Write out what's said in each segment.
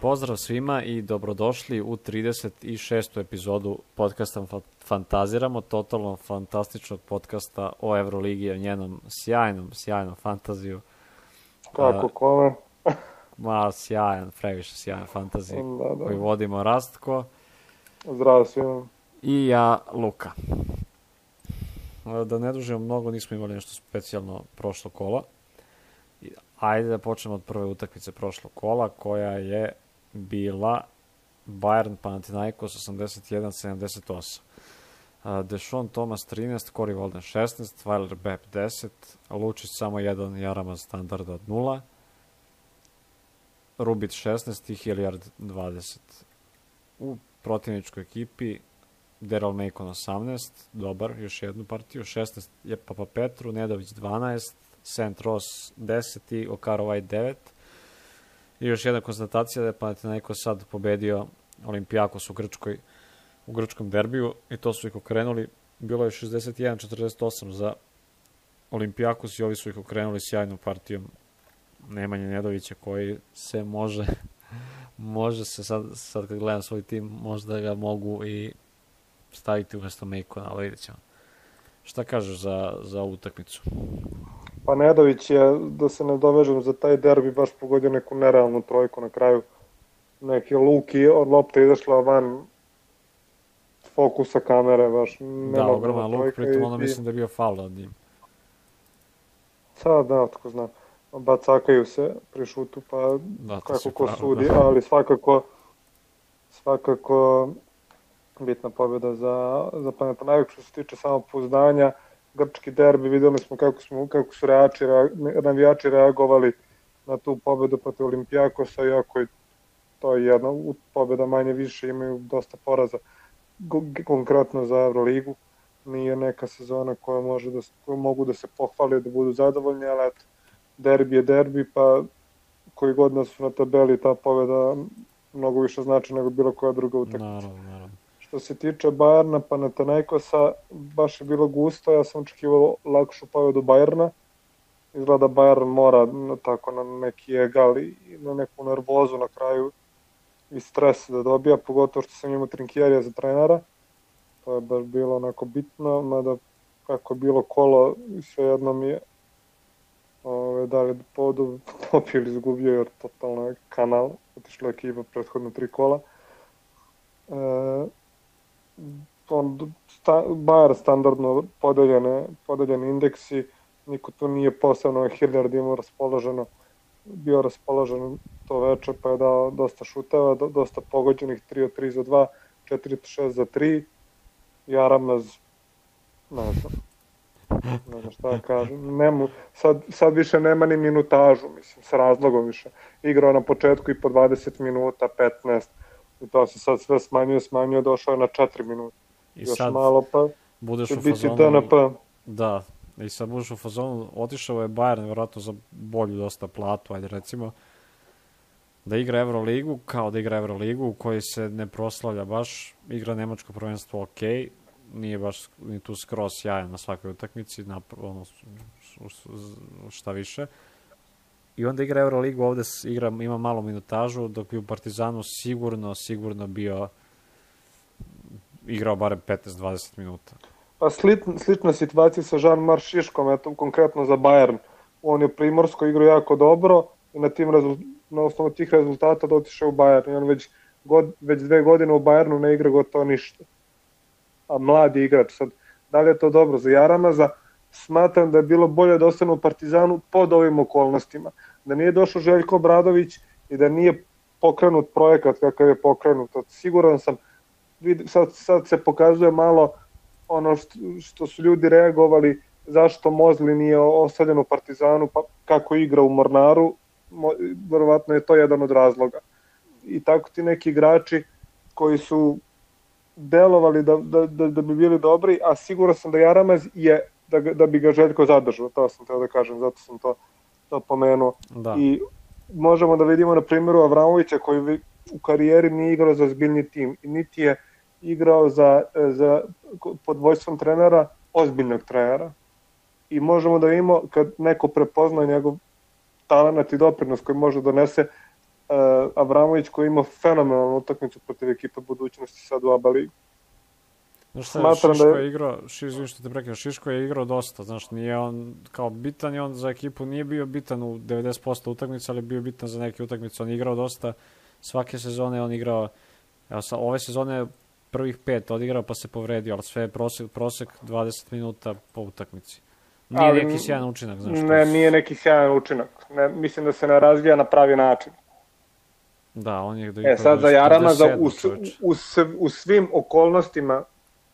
Pozdrav svima i dobrodošli u 36. epizodu podcasta Fantaziramo, totalno fantastičnog podcasta o Evroligi, o njenom sjajnom fantaziju. Kako kome? Previše sjajan fantazij koji vodimo Rastko. Zdravo svima. I ja, Luka. Da ne dužimo mnogo, nismo imali nešto specijalno prošlo kola. Ajde da počnemo od prve utakmice prošlog kola, koja je bila Bayern Panathinaikos 81-78. Deshaun Thomas 13, Corey Walden 16, Weiler Bepp 10, Lučić samo 1, Jaramaz standarda od 0, Rubit 16 i Hilliard 20. U protivničkoj ekipi Daryl Macon 18, dobar, još jednu partiju, 16 je Papa Petru, Nedović 12, St. Ross 10 i Okaro White 9. I još jedna konstatacija da je Panathinaikos sad pobedio Olimpijakos u grčkom derbiju i to su ih okrenuli. Bilo je 61-48 za Olimpijakos i ovi su ih okrenuli sjajnom partijom Nemanje Nedovića, koji se može se sad kad gledam svoj tim, možda ga mogu i staviti umjesto Macona, ali vidjet ćemo. Šta kažeš za ovu utakmicu? Pa Nedović je, da se ne dovežem za taj derbi, baš pogodio neku nerealnu trojku na kraju. Neki luki od lopte izašla van fokusa kamere, baš da, ogroman luk, pritom ono mislim da je bio faul od njim. Sad, da, tako znam. Bacakaju se pri šutu, pa da, kako ko sudi, da. Ali svakako bitna pobjeda za Panathinaikos. Što se tiče samopouzdanja, grčki derbi, videli smo kako su navijači reagovali na tu pobjedu protiv Olimpijakosa, iako je to jedna pobjeda manje više, imaju dosta poraza konkretno za Euroligu. Nije neka sezona koja mogu da se pohvali, da budu zadovoljni, ali eto, derbi je derbi, pa koji god da su na tabeli, ta pobjeda mnogo više znači nego bilo koja druga utakmica. Naravno. Što se tiče Bayerna, Panathinaikosa, baš je bilo gusto, ja sam očekivao lakšu pobjedu Bayerna. Izgleda Bayern mora tako na neki egal i na neku nervozu na kraju i stres da dobija, pogotovo što sam imao Trinkjerija za trenera. To je baš bilo onako bitno, mada kako je bilo kolo, svejedno mi je da li povodu popio ili izgubio, jer totalno je kanal, otišla ekipa prethodno 3 kola. Bayern standardno podeljeni indeksi, niko tu nije posebno, Hilliard bio raspoložen to veče, pa je dao dosta šuteva, dosta pogođenih, 3 od 3 za 2, 4 od 6 za 3, Jaramaz, ne znam šta da kažem, sad više nema ni minutažu, mislim, s razlogom više, igrao na početku i po 20 minuta, 15, i to se sad sve smanjuje, došao je na 4 minuta. I još sad malo pa budeš će u biti fazonu, DNP. Da, i sad budeš u fazonu, otišao je Bayern vjerojatno za bolju dosta platu, ajde recimo, da igra Euroligu, kao da igra Euroligu u kojoj se ne proslavlja baš, igra nemačko prvenstvo ok, nije baš ni tu skroz sjajan na svakoj utakmici, šta više. I onda igra Euroligu, ovde ima malo minutažu, dok bi u Partizanu sigurno bio igrao barem 15-20 minuta. Pa slična situacija sa Jean-Marc Šiškom, eto konkretno za Bayern. On je primorsko igrao jako dobro i na osnovu tih rezultata dotišao u Bayern. I on već 2 godine u Bayernu ne igra gotovo ništa. A mladi igrač. Sad, da li je to dobro za Jaramaza? Smatram da je bilo bolje da ostane u Partizanu pod ovim okolnostima. Da nije došao Željko Obradović i da nije pokrenut projekat kakav je pokrenut. Siguran sam, sad se pokazuje malo ono što su ljudi reagovali, zašto Mozli nije ostavljen u Partizanu, pa kako igra u Mornaru, verovatno je to jedan od razloga. I tako ti neki igrači koji su delovali da bi bili dobri, a siguran sam da Jaramaz je da bi ga Željko zadržao, to sam teo da kažem, zato sam to pomenuo. Da. I možemo da vidimo na primjeru Avramovića koji u karijeri nije igrao za ozbiljni tim i niti je igrao pod vojstvom trenera, ozbiljnog trenera. I možemo da vidimo kad neko prepozna njegov talent i doprinos koji može donese Avramović koji ima fenomenalnu utakmicu protiv ekipe budućnosti sad u ABA ligi. Znaš šta, Šiško je igrao, što te prekidam, Šiško je igrao dosta, znaš, nije on kao bitan i on za ekipu nije bio bitan u 90% utakmica, ali bio bitan za neke utakmice, on je igrao dosta, svake sezone on igrao, evo ove sezone prvih 5 odigrao pa se povredio, ali sve je prosek 20 minuta po utakmici. Nije neki sjajan učinak, znaš. Ne, nije neki sjajan učinak, mislim da se ne razvija na pravi način. Da, on je... sad za Jaramaza u svim okolnostima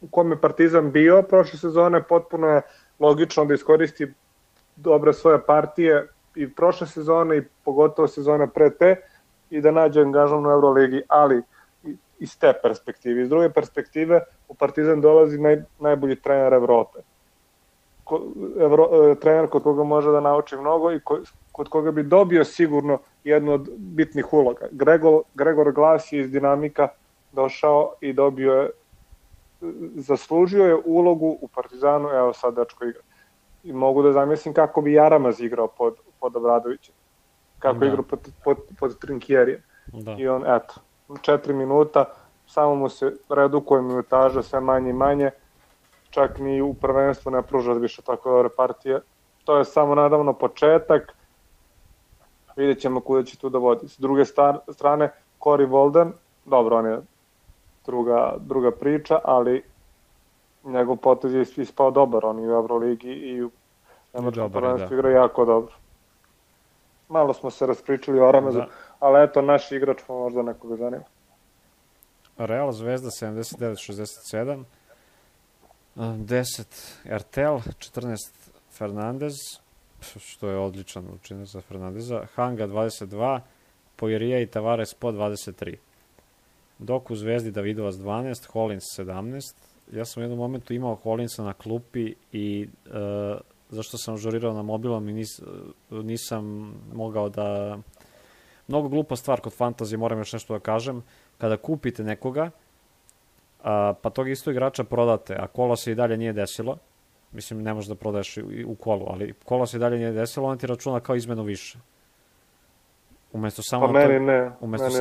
u kome Partizan bio prošle sezone, potpuno je logično da iskoristi dobre svoje partije i prošle sezone i pogotovo sezone pre te i da nađe angažman u Euroligi, ali iz te perspektive. Iz druge perspektive u Partizan dolazi najbolji trener Evrope. Trener kod koga može da nauči mnogo i kod koga bi dobio sigurno jednu od bitnih uloga. Gregor Glas je iz Dinamika došao i dobio je, zaslužio je ulogu u Partizanu, evo sad dečko igra. I mogu da zamislim kako bi Jaramaz igrao pod Obradovićem. Kako igrao pod Trinkjerijem. I on, eto, 4 minuta, samo mu se redukuje minutaža, sve manje i manje, čak ni u prvenstvu ne pruža više tako dobre partije. To je samo nadavno početak, vidjet ćemo kuda će tu da vodi. S druge strane, Corey Walden, dobro, on je druga priča, ali njegov potez je ispao dobar, on i u Euroligi i u nemačkom prvenstvu igra jako dobro. Malo smo se raspričali o Aramezu, ali eto, naš igrač pa možda nekoga zanima. Real Zvezda 79-67, 10 RTL, 14 Fernandez, što je odličan učinak za Fernandeza, Hanga 22, Poirija i Tavares po 23. Dok u Zvezdi Davidovac 12, Hollins 17. Ja sam u jednom momentu imao Hollinsa na klupi i zašto sam žurirao na mobilom i nisam mogao da... Mnogo glupa stvar kod fantazije, moram još nešto da kažem. Kada kupite nekoga, pa tog isto igrača prodate, a kolo se i dalje nije desilo, mislim ne možeš da prodaješ u kolu, ali kolo se i dalje nije desilo, on ti računa kao izmenu više. Umesto samo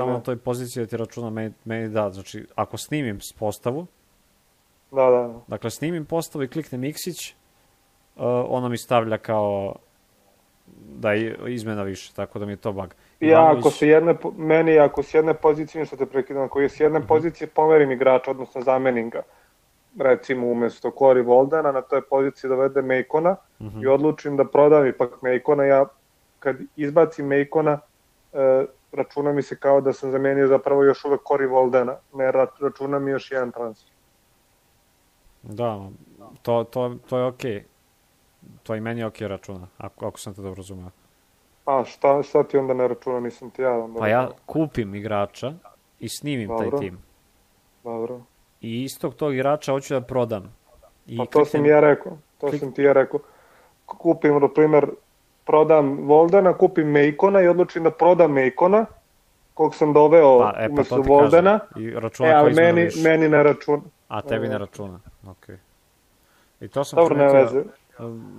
na toj poziciji da ti računa meni da, znači ako snimim postavu, dakle snimim postavu i kliknem X-ić, ono mi stavlja kao da je izmena više, tako da mi je to bug. Ako s jedne pozicije, što te prekidam, ako je s jedne pozicije pomerim igrača, odnosno zamenim ga, recimo umesto Corey Waldena, na toj poziciji dovede Mejkona i odlučim da prodam ipak Mejkona, ja kad izbacim Mejkona, računa mi se kao da sam zamenio zapravo još uvek Corey Waldena, ne računa mi još jedan transfer. Da, to je okej. To i meni je okej računa, ako sam te dobro razumeo. A šta ti onda ne računa, nisam ti ja onda? Pa ja kupim igrača i snimim taj tim. Dobro. I istog tog igrača hoću da prodam. Pa to sam ti ja rekao. Kupim, na primjer, prodam Voldena, kupim Mejkona i odlučim da prodam Mejkona, kog sam doveo umesto Voldena, ali meni ne računa. A tebi ne računa, okej. I to sam dobro, ne veze.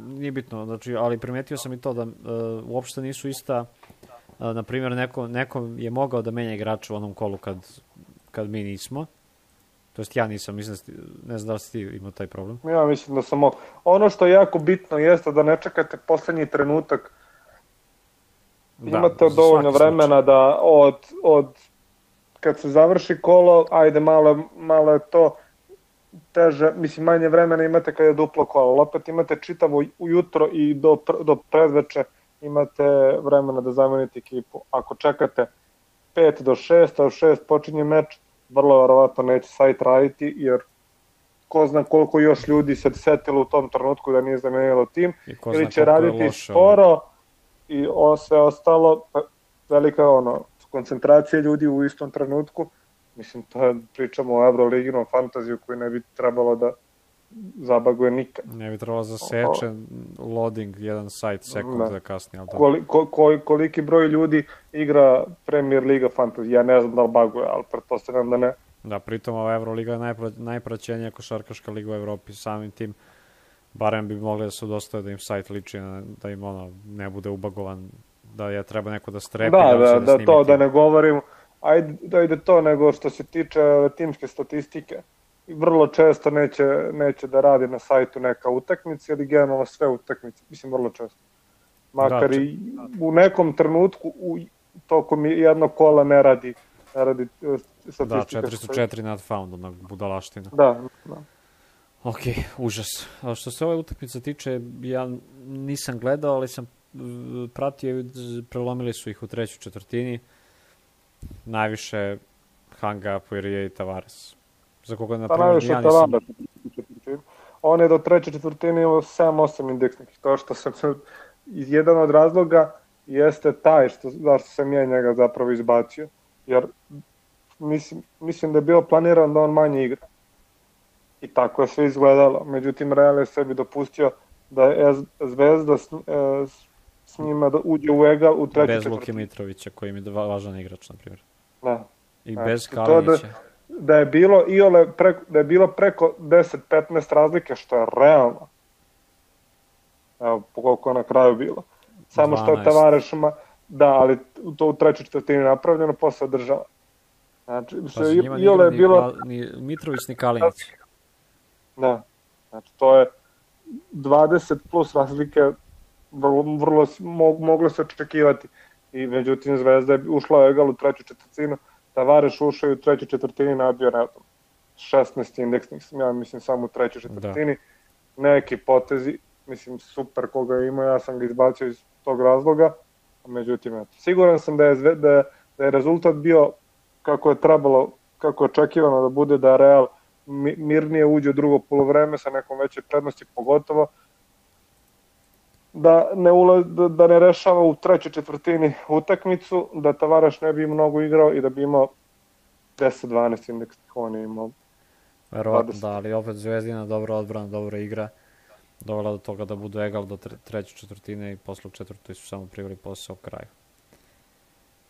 Nije bitno, znači, ali primetio sam i to da uopšte nisu ista, na primjer, neko je mogao da menja igrača u onom kolu kad mi nismo, to jest ja nisam, ne znam da li si ti imao taj problem. Ja mislim da sam ono što je jako bitno jeste da ne čekate poslednji trenutak, imate dovoljno vremena da od kad se završi kolo, ajde malo je to teže, mislim manje vremena imate kad je duplo kolo, ali opet imate čitavo ujutro i do predveče imate vremena da zamenite ekipu. Ako čekate 5 do 6, a u 6 počinje meč, vrlo verovatno neće sajt raditi, jer ko zna koliko još ljudi se setilo u tom trenutku da nije zamenilo tim, ili će raditi sporo i sve ostalo, velika koncentracija ljudi u istom trenutku. Mislim, pričamo o Euroliginom fantaziju koju ne bi trebalo da zabaguje nikad. Ne bi trebalo zaseče loading jedan sajt sekunda kasnije. Koliki broj ljudi igra Premier Liga fantazija? Ja ne znam da li baguje, ali pretpostavljam da ne. Da, pritom ova Euroliga je najpraćenija košarkaška liga u Evropi, samim tim barem bi mogli da se udostave da im sajt liči, da im ne bude ubagovan da je treba neko da strepi. Da, to da ne govorim, ajde to, nego što se tiče timske statistike. Vrlo često neće da radi na sajtu neka utakmica ili generalno sve utakmice, mislim vrlo često. Makar i u nekom trenutku tokom jednog kola ne radi statistika. Da, 404 not found, onak budalaština. Da. Ok, užas. Što se ove utakmice tiče, ja nisam gledao, ali sam pratio i prelomili su ih u trećoj četvrtini. Najviše Hanga, Poirier i Tavares. Za koga na primjer ja nisam... On je do treće četvrtine imao 7-8 indeksnih. To što sam jedan od razloga jeste taj zašto sam ja njega zapravo izbacio. Jer mislim da je bio planiran da on manje igra. I tako je sve izgledalo. Međutim, Real je sebi dopustio da je Zvezda s njima da uđe u egal u trećoj četvrtini. Bez Luke Mitrovića, koji im je važan igrač, na primjer. Da. I bez Kalinića. Da je bilo preko 10-15 razlike, što je realno. Evo, koliko je na kraju bilo. Samo 12. Što je Tavarešima, da, ali to u trećoj četvrtini napravljeno, posle država. Znači, njima nije bilo ni Mitrović ni Kalinić. Da, znači to je 20 plus razlike, vrlo moglo se očekivati. I međutim Zvezda je ušla u egal u treću četvrtinu, Tavareš ušao u trećoj četvrtini, nabio na 16 indeksnih, ja mislim samo u trećoj četvrtini. Neki potezi, mislim super koga je imao, ja sam ga izbacio iz tog razloga, međutim siguran sam da je rezultat bio kako je trebalo, kako je očekivano da bude, da Real mirnije uđe u drugo polovreme sa nekom većoj prednosti, pogotovo da ne rešava u trećoj četvrtini utakmicu, da Tavares ne bi mnogo igrao i da bi imao 10-12 indeksnih, on je imao 20. Verovatno da, ali opet Zvezdina dobra odbrana, dobra igra, dovela do toga da budu egal do treće četvrtine i posle u četvrtoj su samo priveli posao kraju.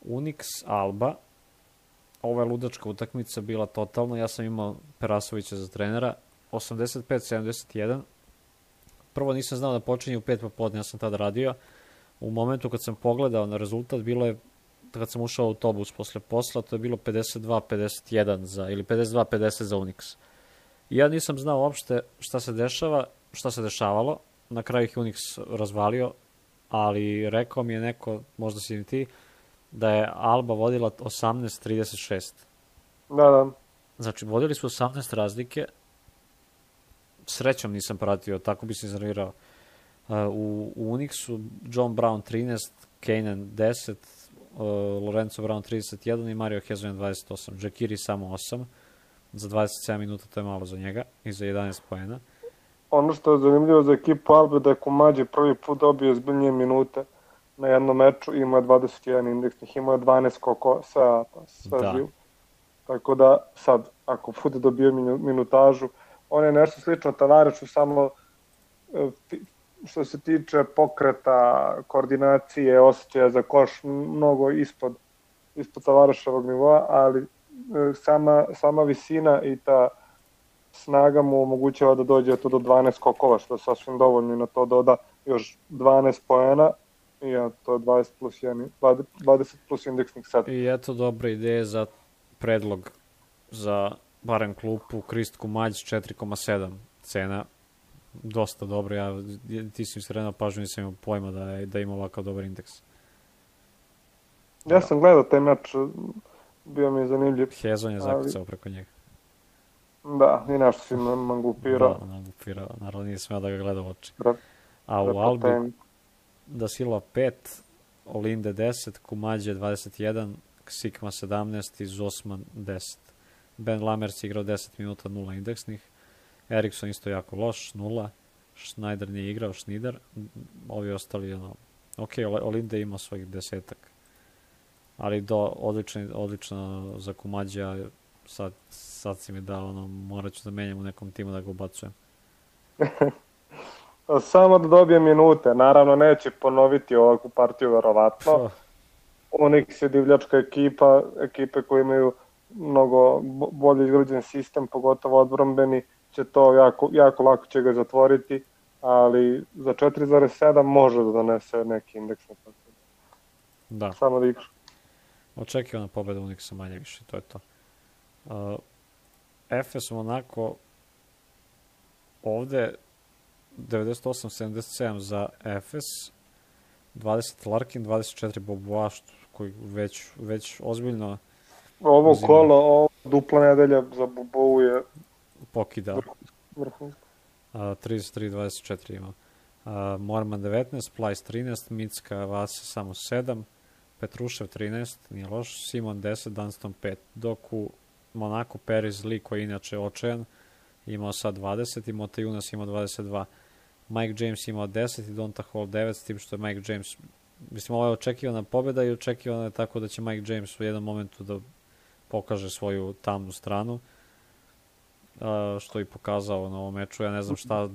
Unix Alba, ova je ludačka utakmica bila totalno, ja sam imao Perasovića za trenera, 85-71, prvo nisam znao da počinje u 5 popodne, ja sam tada radio, u momentu kad sam pogledao na rezultat, bilo je, kad sam ušao u autobus posle posla, to je bilo 52-51 ili 52-50 za Unix. I ja nisam znao uopšte šta se dešavalo, na kraju ih Unix razvalio, ali rekao mi je neko, možda si ni ti, da je Alba vodila 18-36. Da. Znači, vodili su 18 razlike, srećom nisam pratio, tako bi se iznervirao. U Unixu John Brown 13, Kanan 10, Lorenzo Brown 31 i Mario Hezonja 28. Jaciri samo 8, za 27 minuta to je malo za njega i za 11 poena. Ono što je zanimljivo za ekipu Albe da je Kumađe prvi put dobio zbiljnije minute na jednom meču, imao je 21 indeksnih, imao je 12 skokova, sve živo. Tako da sad, ako bude dobio minutažu, on je nešto slično Tavaresu, samo što se tiče pokreta, koordinacije, osjećaja za koš, mnogo ispod Tavareševog nivoa, ali sama visina i ta snaga mu omogućava da dođe to do 12 skokova, što je sasvim dovoljno, i na to doda još 12 poena, i to je 20 plus indeksnih set. I eto dobra ideja za predlog za barem klupu, Krist Kumađ 4,7 cena, dosta dobro, ti si mi sredno pažnju, nisam imao pojma da ima ovakav dobar indeks. Ja sam gledao taj meč, bio mi je zanimljiv. Hezon je zakucao preko njega. Da, i nešto si mangupirao. Da, mangupirao, naravno nije smeo da ga gleda u oči. A u Albi Da Silva 5, Olinde 10, Kumađe 21, Sikma 17 i Zosman 10. Ben Lamers igrao 10 minuta, 0 indeksnih. Eriksson isto jako loš, 0. Schneider nije igrao, Schneider. Ovi ostali, ok, Olinde imao svojih 10-ak. Ali odlično za Kumađa, sad si mi dao, morat ću da menjam u nekom timu da ga ubacujem. Samo da dobije minute, naravno neće ponoviti ovakvu partiju verovatno. Unix je divljačka ekipe koje imaju mnogo bolje izgrađen sistem, pogotovo odbrambeni, će to jako lako će ga zatvoriti, ali za 4,7 može da donese neki indeks. Da. samo da igraš. Očekivana pobeda Uniksa manje više, to je to. Efes Monako ovde 98-77 za Efes, 20 Larkin, 24 Bobois, koji već ozbiljno Ovo uzima. kolo, dupla nedelja za Bobovu je pokida. vrhunsko. 33-24 ima. Morman 19, Plajs 13, Micka Vasa samo 7, Petrušev 13, nije loš, Simon 10, Dunston 5, dok u Monaku Periz Lee, koji je inače očajan, imao sad 20 i Motejunas imao 22. Mike James imao 10 i Donta Hall 9, s tim što je Mike James, mislim, ovo je očekivana pobjeda i očekivana je tako da će Mike James u jednom momentu da pokaže svoju tamnu stranu, što je pokazao na ovom meču. Ja ne znam šta...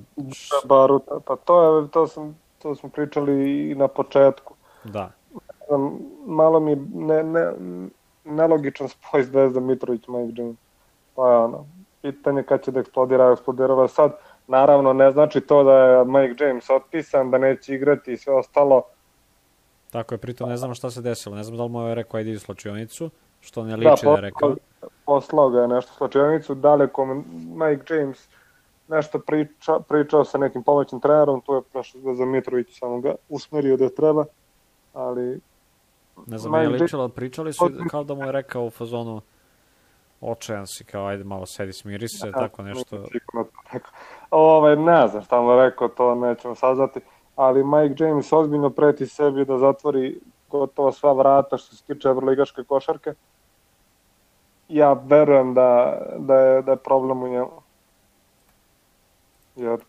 Baruta, pa to smo pričali i na početku. Da. Malo mi nelogičan spoj Zvezda Mitrović, Mike James. Pa je pitanje kad će da eksplodirava sad. Naravno, ne znači to da je Mike James otpisan, da neće igrati i sve ostalo. Tako je, pritom ne znam šta se desilo. Ne znam da li mu je rekao ajde u slačionicu, što ne liči da je rekao. Poslao ga je nešto u slačionicu, daleko Mike James nešto pričao sa nekim pomoćnim trenerom, tu je prošlo za Mitrović, samo ga usmerio da treba, ali... Ne znam, je ličilo, pričali su kao da mu je rekao u fazonu očajan si, kao ajde malo sedi, smiri se, tako nešto. Ne znam šta mu je rekao, to nećemo saznati, ali Mike James ozbiljno preti sebi da zatvori gotovo sva vrata što se tiče evroligaške košarke. Ja verujem da je problem u njemu. Jer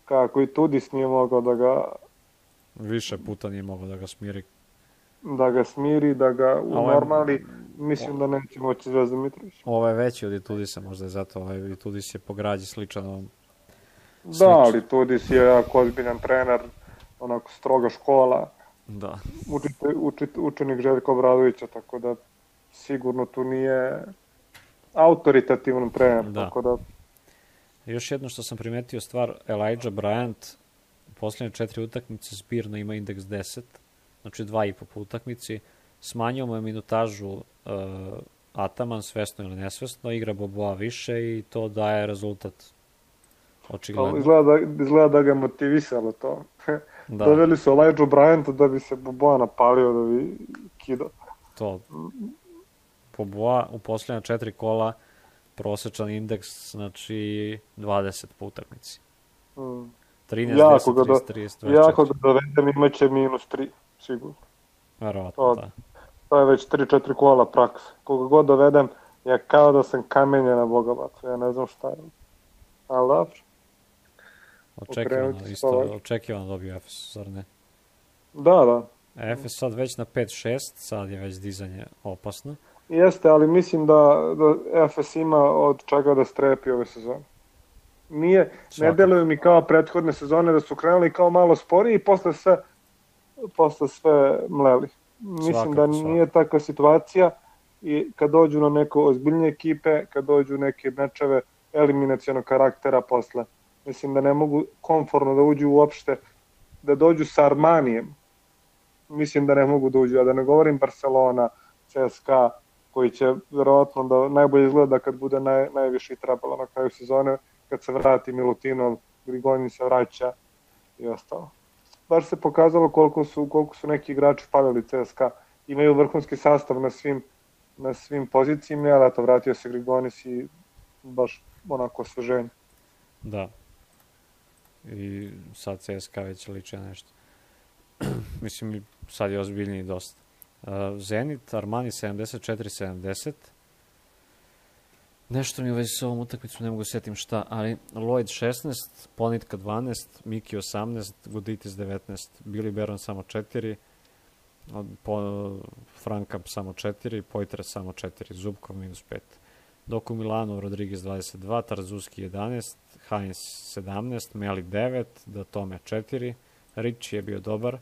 kako i Tudis nije mogao da ga... Više puta nije mogao da ga smiri. Da ga unormali, mislim da neće moći Zvezda Mitrović. Ovo je veći od Itudisa, možda je zato. Itudis je po građi sličan ovom. Da, ali Tudis je jako ozbiljan trener, onako stroga škola. Da. Učenik Željka Obradovića, tako da sigurno tu nije autoritativan trener. Da. Tako da... Još jedno što sam primetio stvar, Elijah Bryant u posljednje 4 utakmice zbirno ima indeks 10, znači 2,5 po utakmici. Smanjio mu je minutažu Ataman, svesno ili nesvesno, igra Boboa više i to daje rezultat. Očigledno. Izgleda da ga je motivisalo to. Da. Doveli su Elijah Bryanta da bi se Boboa napalio, da bi kidao. To. Boboa u posljednja 4 kola prosječan indeks, znači 20 po utakmici. 13, 10, 30, 30, 24. Jako ga dovedem, imaće -3, sigurno. Verovatno, da. To je već 3-4 kola praksa. Koga god dovedem, ja kao da sam kamenje na Bogobacu, ja ne znam šta je. Ali dobro. Očekivano dobio Efes, zar ne? Da. Efes sad već na 5-6, sad je već dizanje opasno. Jeste, ali mislim da Efes ima od čega da strepi ove sezone. Ne deluju mi kao prethodne sezone da su krenuli kao malo sporiji i posle sve mleli. Mislim da nije takva situacija i kad dođu na neko ozbiljnije ekipe, kad dođu neke mečeve eliminacionog karaktera posle, mislim da ne mogu komfortno da uđu uopšte, da dođu sa Armanijem. Mislim da ne mogu da uđu, a da ne govorim Barcelona, CSKA, koji će verovatno da najbolje izgleda kad bude najviše trebalo na kraju sezone, kad se vrati Milutinov, Grigonin se vraća i ostalo. Baš se pokazalo koliko su neki igrači falili CSKA. Imaju vrhunski sastav na svim pozicijima, ali eto, vratio se Grigonis i baš onako osveženje. Da. I sad CSKA već liče nešto. Mislim, sad je ozbiljniji dosta. Zenit, Armani 74-70. Nešto mi u vezi s ovom utakmicom ne mogu setim šta, ali Lloyd 16, Ponitka 12, Miki 18, Guditis 19, Billy Baron samo 4, Franka samo 4, Poitre samo 4, Zubkov -5. Dok u Milanu Rodriguez 22, Tarzuski 11, Heinz 17, Meli 9, Datome 4, Ricci je bio dobar,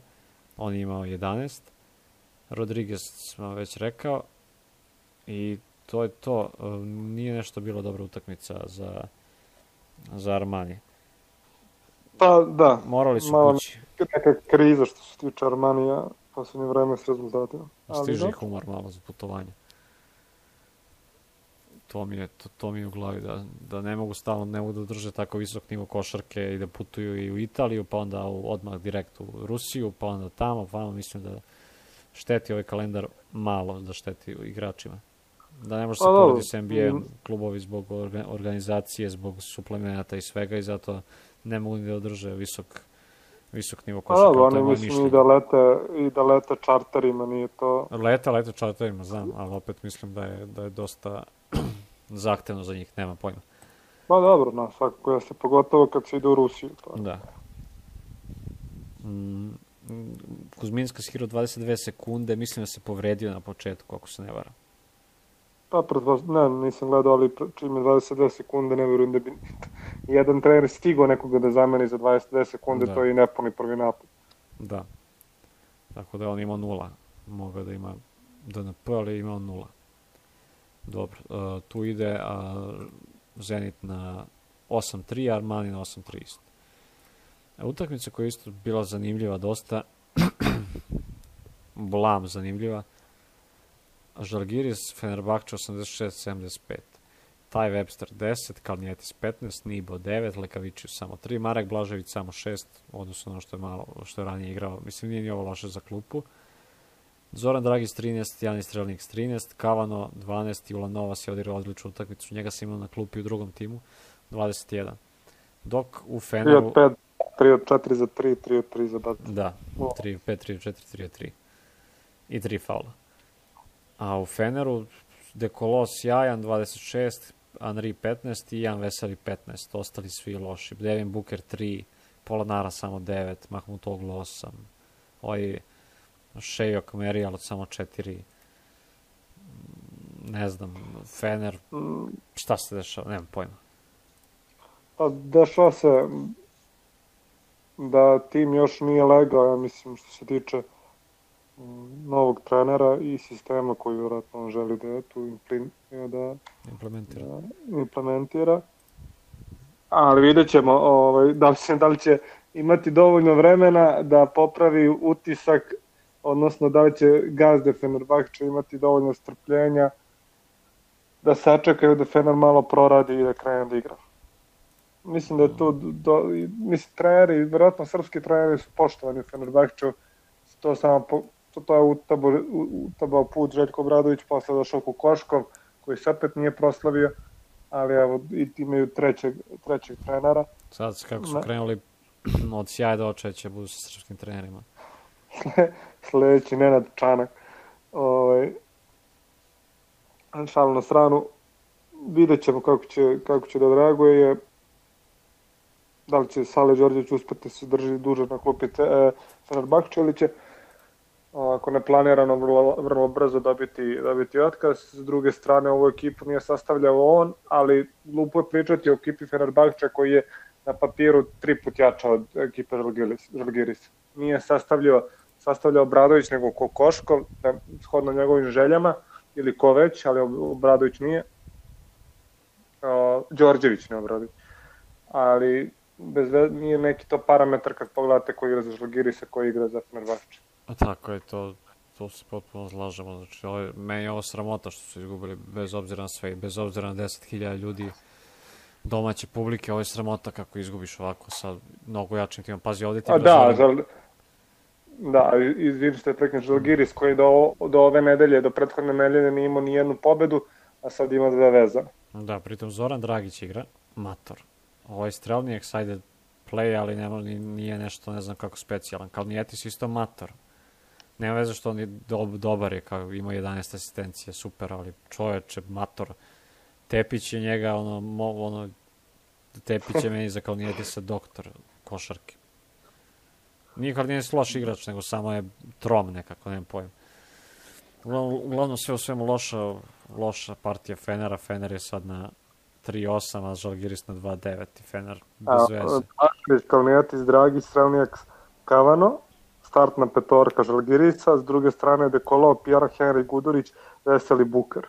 on je imao 11, Rodriguez smo već rekao i to je to. Nije nešto bilo dobra utakmica za Armani. Pa da. Morali su kući. Neka kriza što se tiče Armanija posljednje vreme s rezultatima. Stiže ih umor malo za putovanje. To mi je u glavi, da ne mogu stalno, ne mogu da drže tako visok nivo košarke i da putuju i u Italiju, pa onda odmah direkt u Rusiju, pa onda tamo, mislim da šteti ovaj kalendar malo, da šteti igračima. Da ne može se porediti s NBA klubovi zbog organizacije, zbog suplemenata i svega i zato ne mogu ni da održe visok nivo košarka. Pa oni mislim i da lete čarterima, nije to... Lete čarterima, znam, ali opet mislim da je dosta zahtevno za njih, nema pojma. Pa dobro, svakako jeste, pogotovo kad se ide u Rusiju. Da. Kuzminska igrao 22 sekunde, mislim da se povredio na početku, ako se ne varam. Pa, nisam gledao, ali čim je 22 sekunde, ne verujem da bi jedan trener stigao nekoga da zameni za 22 sekunde, to je i nepuni prvi napad. Da. Tako da on imao 0. Mogao da ima DNP, ali imao 0. Dobro, tu ide Zenit na 8-3, Armani na 8-3 isto. Utakmica koja je isto bila zanimljiva dosta, blam zanimljiva, Žalgiris, Fenerbahče 86-75, Taj Webster 10, Kalnijetis 15, Nibo 9, Lekavičius samo 3, Marek Blažević samo 6, odnosno ono što je ranije igrao, mislim nije ni ovo loše za klupu. Zoran Dragić 13, Janis Strelnik 13, Kavano 12, Julan Novas je odigrao odličnu utakmicu, njega sam imao na klupi u drugom timu, 21. Dok u Feneru... 3 od 4 za 3, 3 od 3 za bat. Da, 3 od 5, 3 od 4, 3 od 3. I 3 faula. A u Feneru Dekolo sjajan 26, Henri 15 i Jan Veseli 15. Ostali svi loši. Devin Booker 3, Polonara samo 9, Mahmutoglu 8, Šejok Merijal samo 4. Ne znam, Fener, šta se dešava, nemam pojma. Pa dešava se da tim još nije legao, ja mislim, što se tiče novog trenera i sistema koji vjerojatno on želi da tu implementira. Ali vidjet ćemo da li će imati dovoljno vremena da popravi utisak, odnosno da li će gazde Fenerbahče imati dovoljno strpljenja da sačekaju da Fener malo proradi i da krene da igra. Mislim da je tu, treneri, vjerojatno srpski treneri su poštovani u Fenerbahču, to je utabao put Željko Obradović, posle došao Kokoškov, koji se opet nije proslavio, ali evo, imaju trećeg trenera. Sad kako su krenuli od sjaja do očaja budu sa srpskim trenerima. Sledeći Nenad Čanak. Šalu na stranu, vidjet ćemo kako će da odreaguje. Da li će Sale Đorđević uspeti se drži duže na klupi Fenerbahče ili će ako neplanirano vrlo brzo dobiti otkaz. S druge strane, ovu ekipu nije sastavljao on, ali glupo je pričati o ekipi Fenerbahče koji je na papiru 3 put jača od ekipe Žalgirisa. Nije sastavljao Obradović nego Kokoškov, shodno njegovim željama, ili ko već, ali Obradović nije. Đorđević ne Obradović. Ali nije neki to parametar kad pogledate ko igra za Žalgirisa, ko igra za Fenerbahče. Tako je, to se potpuno slažemo. Znači, meni je ovo sramota što su izgubili, bez obzira na sve, bez obzira na 10.000 ljudi domaće publike, ovo je sramota kako izgubiš ovako sa mnogo jačim timom. Pazi, ovdje ti Da, izvini što je preknem Žalgiris koji do ove nedelje, do prethodne nedelje nije imao ni jednu pobedu, a sad ima 2 vezane. Da, pritom Zoran Dragić igra, mator. Ovo je strelni excited play, ali nije nešto, ne znam kako specijalan. Kalnijetis isto mator. Nema veze što on je dobar, ima 11 asistencija, super, ali čoveče, mator. Tepić je njega, Tepić je meni za Kalnijetisa doktor košarke. Nije Kalnijetis loš igrač, nego samo je trom nekako, nemam pojma. Uglavnom sve u svemu loša partija Fenera. Fener je sad na 3-8, a Žalgiris na 2-9 i Fener bez veze. Kalnijetis, Dragić, Strelnijak, Kavano, startna petorka Žalgirisa, s druge strane Dekolo, Pierre, Henry, Gudurić, Veseli, Booker.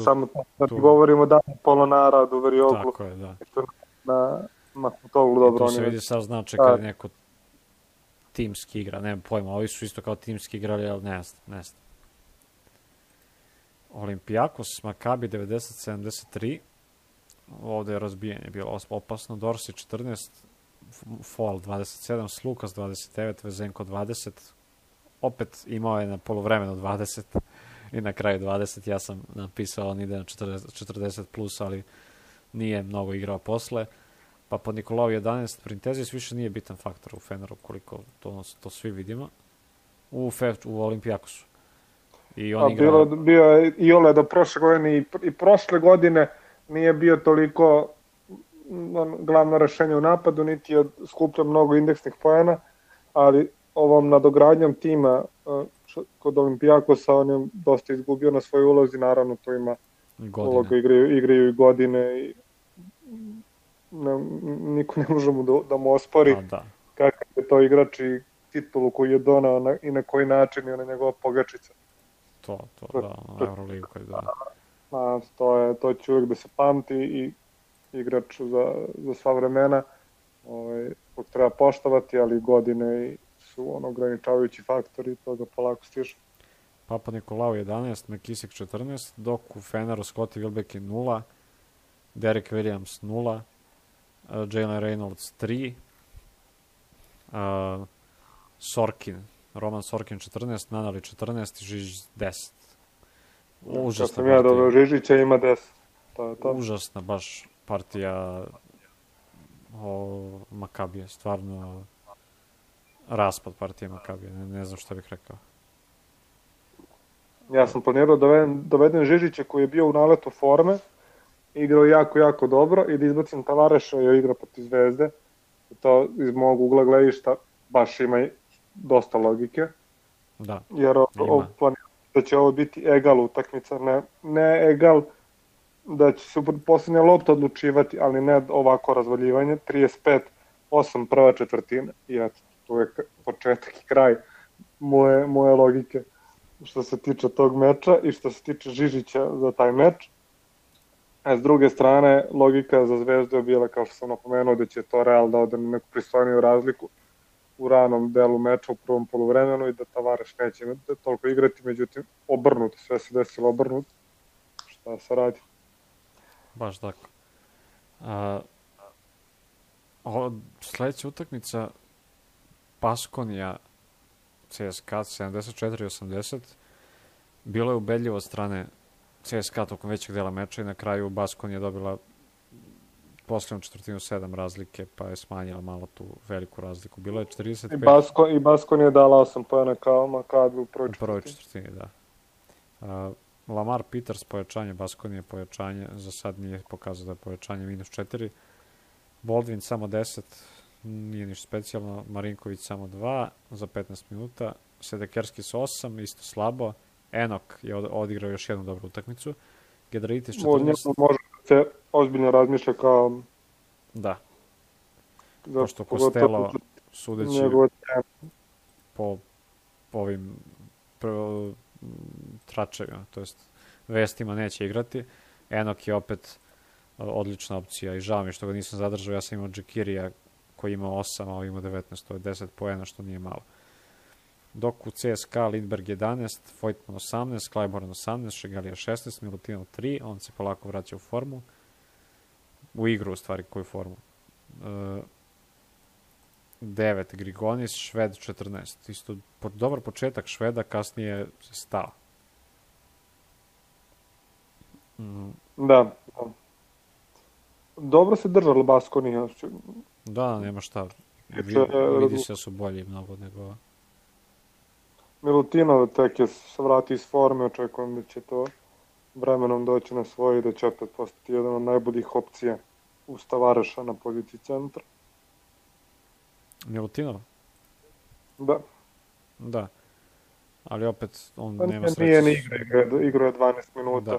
Samo da ti govorimo da Polonara, Duverioglu. Tako je, da. Na Mahmutoglu dobro. Tu se vidi sad znači kad je neko timski igra, nemam pojma, ovi su isto kao timski igrali, ali ne znam. Olympiakos, Maccabi 90-73, ovde je razbijanje bilo opasno, Dorsi 14, Foal 27, Slukas 29, Vezenko 20, opet imao je na polovremenu 20 i na kraju 20, ja sam napisao on ide na 40 plus, ali nije mnogo igrao posle. Pa pod Nikolao 11, Printezis više nije bitan faktor u Feneru, koliko to svi vidimo, u Olympiakosu. I on igra... Bio je i Ole do prošle godine i prošle godine nije bio toliko glavno rešenje u napadu, niti je skupljao mnogo indeksnih poena, ali ovom nadogradnjom tima kod Olympiakosa on je dosta izgubio na svojoj ulozi, naravno to ima uloga, igraju i godine i niko ne može da mu ospori kakav je to igrač i titulu koju je donao i na koji način i ona njegova pogačica. Da, Euroligu koji da. To će uvijek da se pamti i igrač za sva vremena kog treba poštovati, ali godine su ograničavajući faktori i toga polako stiže. Papa Nikolao 11, McKissick 14, dok u Feneru Scottie Wilbeck 0, Derek Williams 0, Jalen Reynolds 3, Roman Sorkin 14, Nanali 14 i Žižić 10. Užasna partija. Kad sam ja dobro Žižića ima 10. To. Užasna baš partija Makabije, stvarno raspad partije Makabije, ne znam šta bih rekao. Ja sam planirao doveden Žižića koji je bio u naletu forme, igrao jako dobro i da izbacim Tavareša i igra protiv Zvezde. To iz mog ugla gledišta baš ima dosta logike. Da, jer da će ovo biti egal utakmica, ne egal da će se posljednja lopta odlučivati, ali ne ovako razvaljivanje, 35-8 prva četvrtina i eto, tu je početak i kraj moje logike što se tiče tog meča i što se tiče Žižića za taj meč. A s druge strane, logika za Zvezdu je bila, kao što sam napomenuo, da će to Real da ode na neku pristojniju razliku u ranom delu meča u prvom poluvremenu i da Tavares neće toliko igrati, međutim obrnuto, sve se desilo obrnuto. Šta se radi? Baš tako. Sledeća utakmica Baskonija CSKA 74-80 bilo je ubedljivo od strane CSKA tokom većeg dela meča i na kraju Baskonija je dobila posljednom četvrtinu 7 razlike, pa je smanjila malo tu veliku razliku. Bilo je 45... I Baskon je dala 8 pojena kao Makabi u prvoj četvrtini. Da. Lamar Peters pojačanje, Baskonije pojačanje, za sad nije pokazao da je pojačanje -4. Baldwin samo 10, nije ništa specijalno. Marinković samo 2 za 15 minuta. Sedekerski s 8, isto slabo. Enok je odigrao još jednu dobru utakmicu. Gedraitis 14. Može se ozbiljno razmišlja kao... Da. Pošto Costello, sudeći po ovim tračevima, to jest vestima, neće igrati. Enok je opet odlična opcija i žao mi što ga nisam zadržao. Ja sam imao Džekirija koji ima 8, a ovo ima 19, to je 10 poena, što nije malo. Dok u CSKA Lindberg 11, Voigtman 18, Clyburn 18, Šegalija 16, Milutinov 3, on se polako vraća u formu. U igru, u stvari, koju formu. 9, Grigonis, Šved 14. Isto dobar početak Šveda, kasnije se stao. Da. Dobro se držalo Baskonija. Da, nema šta. Vidi se da su bolji mnogo nego... Milutinov tek je se vrati iz forme, očekujem da će to vremenom doći na svoje i da će opet postati jedan od najboljih opcija uz Tavareša na poziciji centra. Milutinov? Da. Da. Ali opet on nema sreće. Nije ni igra je 12 minuta.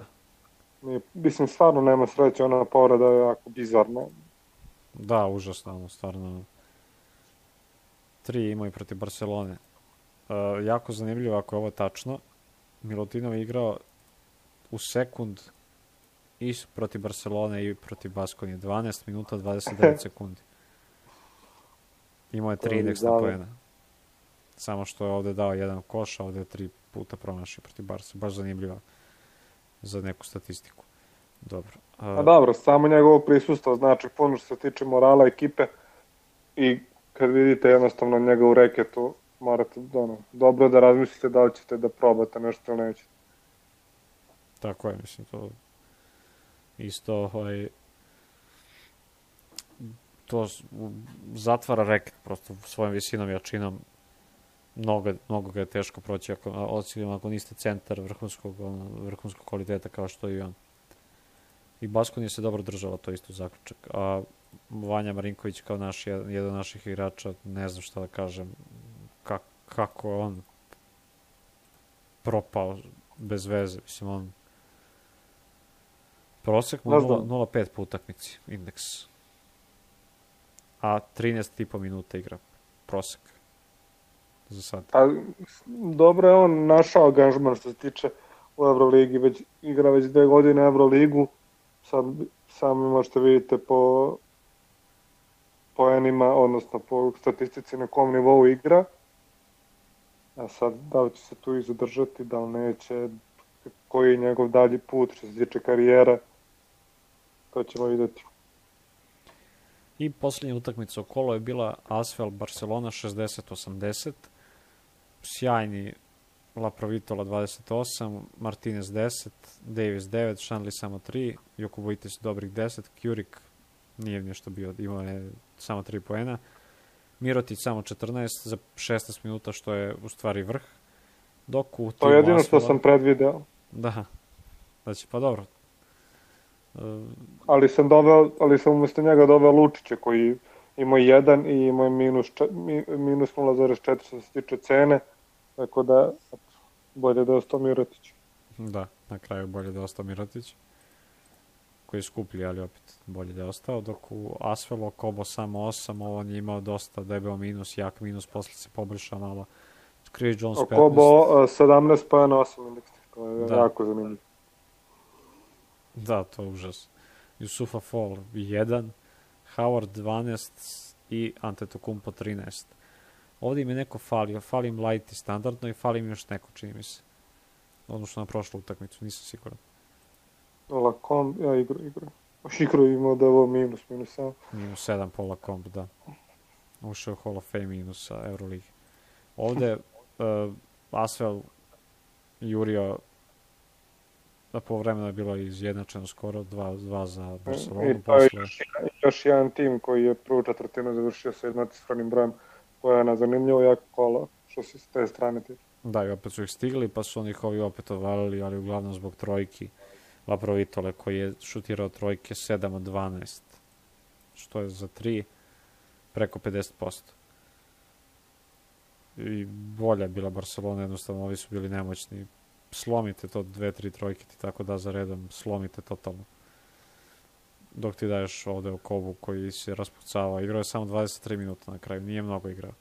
Da. Mislim, stvarno nema sreće, ona povreda je jako bizarno. Da, užasno, stvarno. 3 imaju protiv Barcelone. Jako zanimljivo ako je ovo tačno. Milutinov je igrao u sekund i protiv Barcelone i protiv Baskonije. 12 minuta 29 sekundi. Imao je 3 indeksna poena. Samo što je ovde dao jedan koš, a ovde je 3 puta promašio protiv Barca. Baš zanimljivo za neku statistiku. Dobro. A dobro, samo njegovo prisustvo znači puno što se tiče morala ekipe i kad vidite jednostavno njega u reketu, morate dobro da razmislite da li ćete da probate nešto ili nećete. Tako je, mislim, to isto to zatvara reket prosto svojom visinom i jačinom. Mnogo ga je teško proći ako niste centar vrhunskog kvaliteta kao što je i on. I Baskonija se dobro držala, to isto zaključak. A Vanja Marinković kao jedan od naših igrača, ne znam šta da kažem, kako je on propao bez veze. Mislim, on prosek mu 0,5 po utakmici, indeks. A 13,5 minuta igra prosek za sad. A dobro je on našao angažman što se tiče u Euroligi, igra već 2 godine Euroligu, sad sami možete vidite po poenima, odnosno po statistici na kom nivou igra. A sad, da li će se tu i zadržati, da li neće, koji je njegov dalji put što se tiče karijere, to ćemo vidjeti. I posljednja utakmica o kolo je bila Asvel Barcelona 60-80. Sjajni Laprovitola 28, Martinez 10, Davis 9, Šanli samo 3, Jokubovitis dobrih 10, Kjurik nije nešto bio, imao je samo 3 poena, Mirotić samo 14 za 16 minuta, što je u stvari vrh. Dok u to je jedino što sam predvideo. Da, znači pa dobro. Ali sam umjesto njega doveo Lučića koji ima 1 i ima minus 0,4 što se tiče cene, tako da bolje da je ostao Mirotić. Da, na kraju bolje da je ostao Mirotić, koji je skuplji, ali opet bolje da je ostao, dok u Asvelu Kobo samo 8, on je imao dosta debel minus, jak minus, posle se poboljšao malo. Chris Jones 15. Kobo 17 pa je na 8 indeks, to je jako zanimljivo. Da, to je užas. Yusufa Fall 1, Howard 12 i Antetokounmpo 13. Ovdje im je neko falio, falim Light i standardno i falim još neko, čini mi se. Odnosno na prošlu utakmicu, nisam siguran. Lacombe, ja igru imao da je ovo minus 7. Minus 7 po Lacombe, da. Ušao Hall of Fame minusa Euroligi. Ovdje Asvel jurio da po vremenu je bilo izjednačeno skoro 2 za Barcelonu. I to je još jedan tim koji je prvu četvrtinu završio sa jednocifrenim brojem pojena, zanimljivo jako kolo što se s te strane tiče. Da, i opet su ih stigli, pa su oni ih ovi opet ovalili, ali uglavnom zbog trojki Laprovitole koji je šutirao trojke 7 od 12, što je za 3 preko 50%. I bolja je bila Barcelona, jednostavno ovi su bili nemoćni. Slomite to 2-3 trojke ti tako da za redom, slomite totalno. Dok ti daješ ovde o Kobu koji se raspucava. Igrao je samo 23 minuta na kraju, nije mnogo igrao.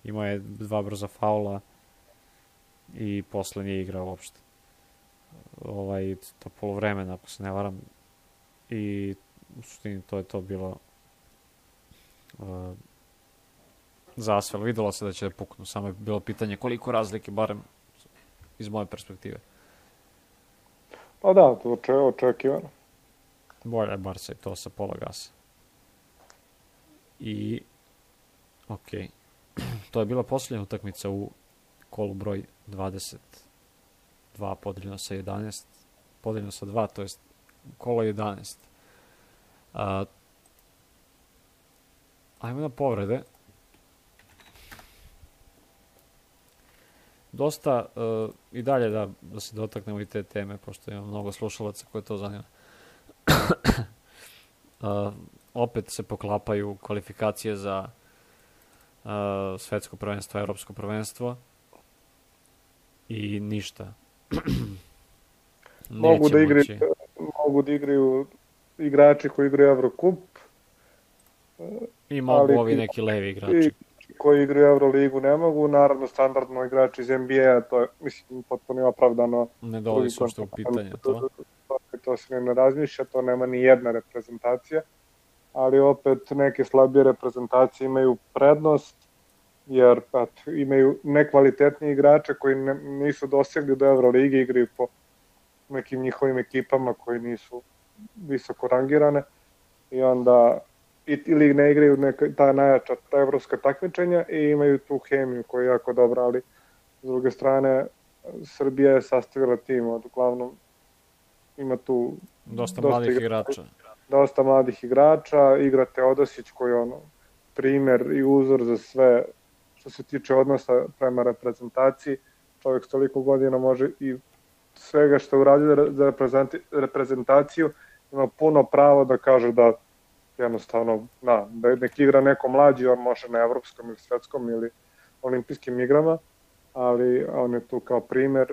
Imao je 2 brza faula i posle nije igrao uopšte. To polovremena, ako se ne varam. I u suštini to je to bilo za Asvel. Videlo se da će da puknu, samo je bilo pitanje koliko razlike, barem iz moje perspektive. Pa da, to je očekivano. Bolje je Barca i to sa pola gasa. I okej. To je bila posljednja utakmica u kolu broj 22 podeljeno sa 11. Podeljeno sa 2, to je kolo 11. Ajmo na povrede. Dosta i dalje da se dotaknemo i te teme, pošto ima mnogo slušalaca koje to zanima. Opet se poklapaju kvalifikacije za svetsko prvenstvo, evropsko prvenstvo i ništa. Mogu da igraju igrači koji igraju Evrokup. I mogu ovi neki levi igrači. Koji igraju Euroligu ne mogu, naravno standardno igrači iz NBA, to je, mislim, potpuno opravdano. Ne dolazi se uopšte u pitanje to. To se ne razmišlja, to nema ni jedna reprezentacija, ali opet neke slabije reprezentacije imaju prednost jer imaju nekvalitetni igrače koji nisu dosegli do Euroligi, igraju po nekim njihovim ekipama koji nisu visoko rangirane i onda ili ne igraju ta najjača, ta evropska takmičenja i imaju tu hemiju koja je jako dobra, ali s druge strane Srbija je sastavila tim, uglavnom ima tu dosta mladih igrača. Dosta mladih igrača, igra Teodosić koji je primer i uzor za sve što se tiče odnosa prema reprezentaciji. Čovjek s toliko godina može i svega što je uradio za reprezentaciju ima puno pravo da kaže da jednostavno, da nek igra neko mlađi, on može na evropskom ili svetskom ili olimpijskim igrama, ali on je tu kao primer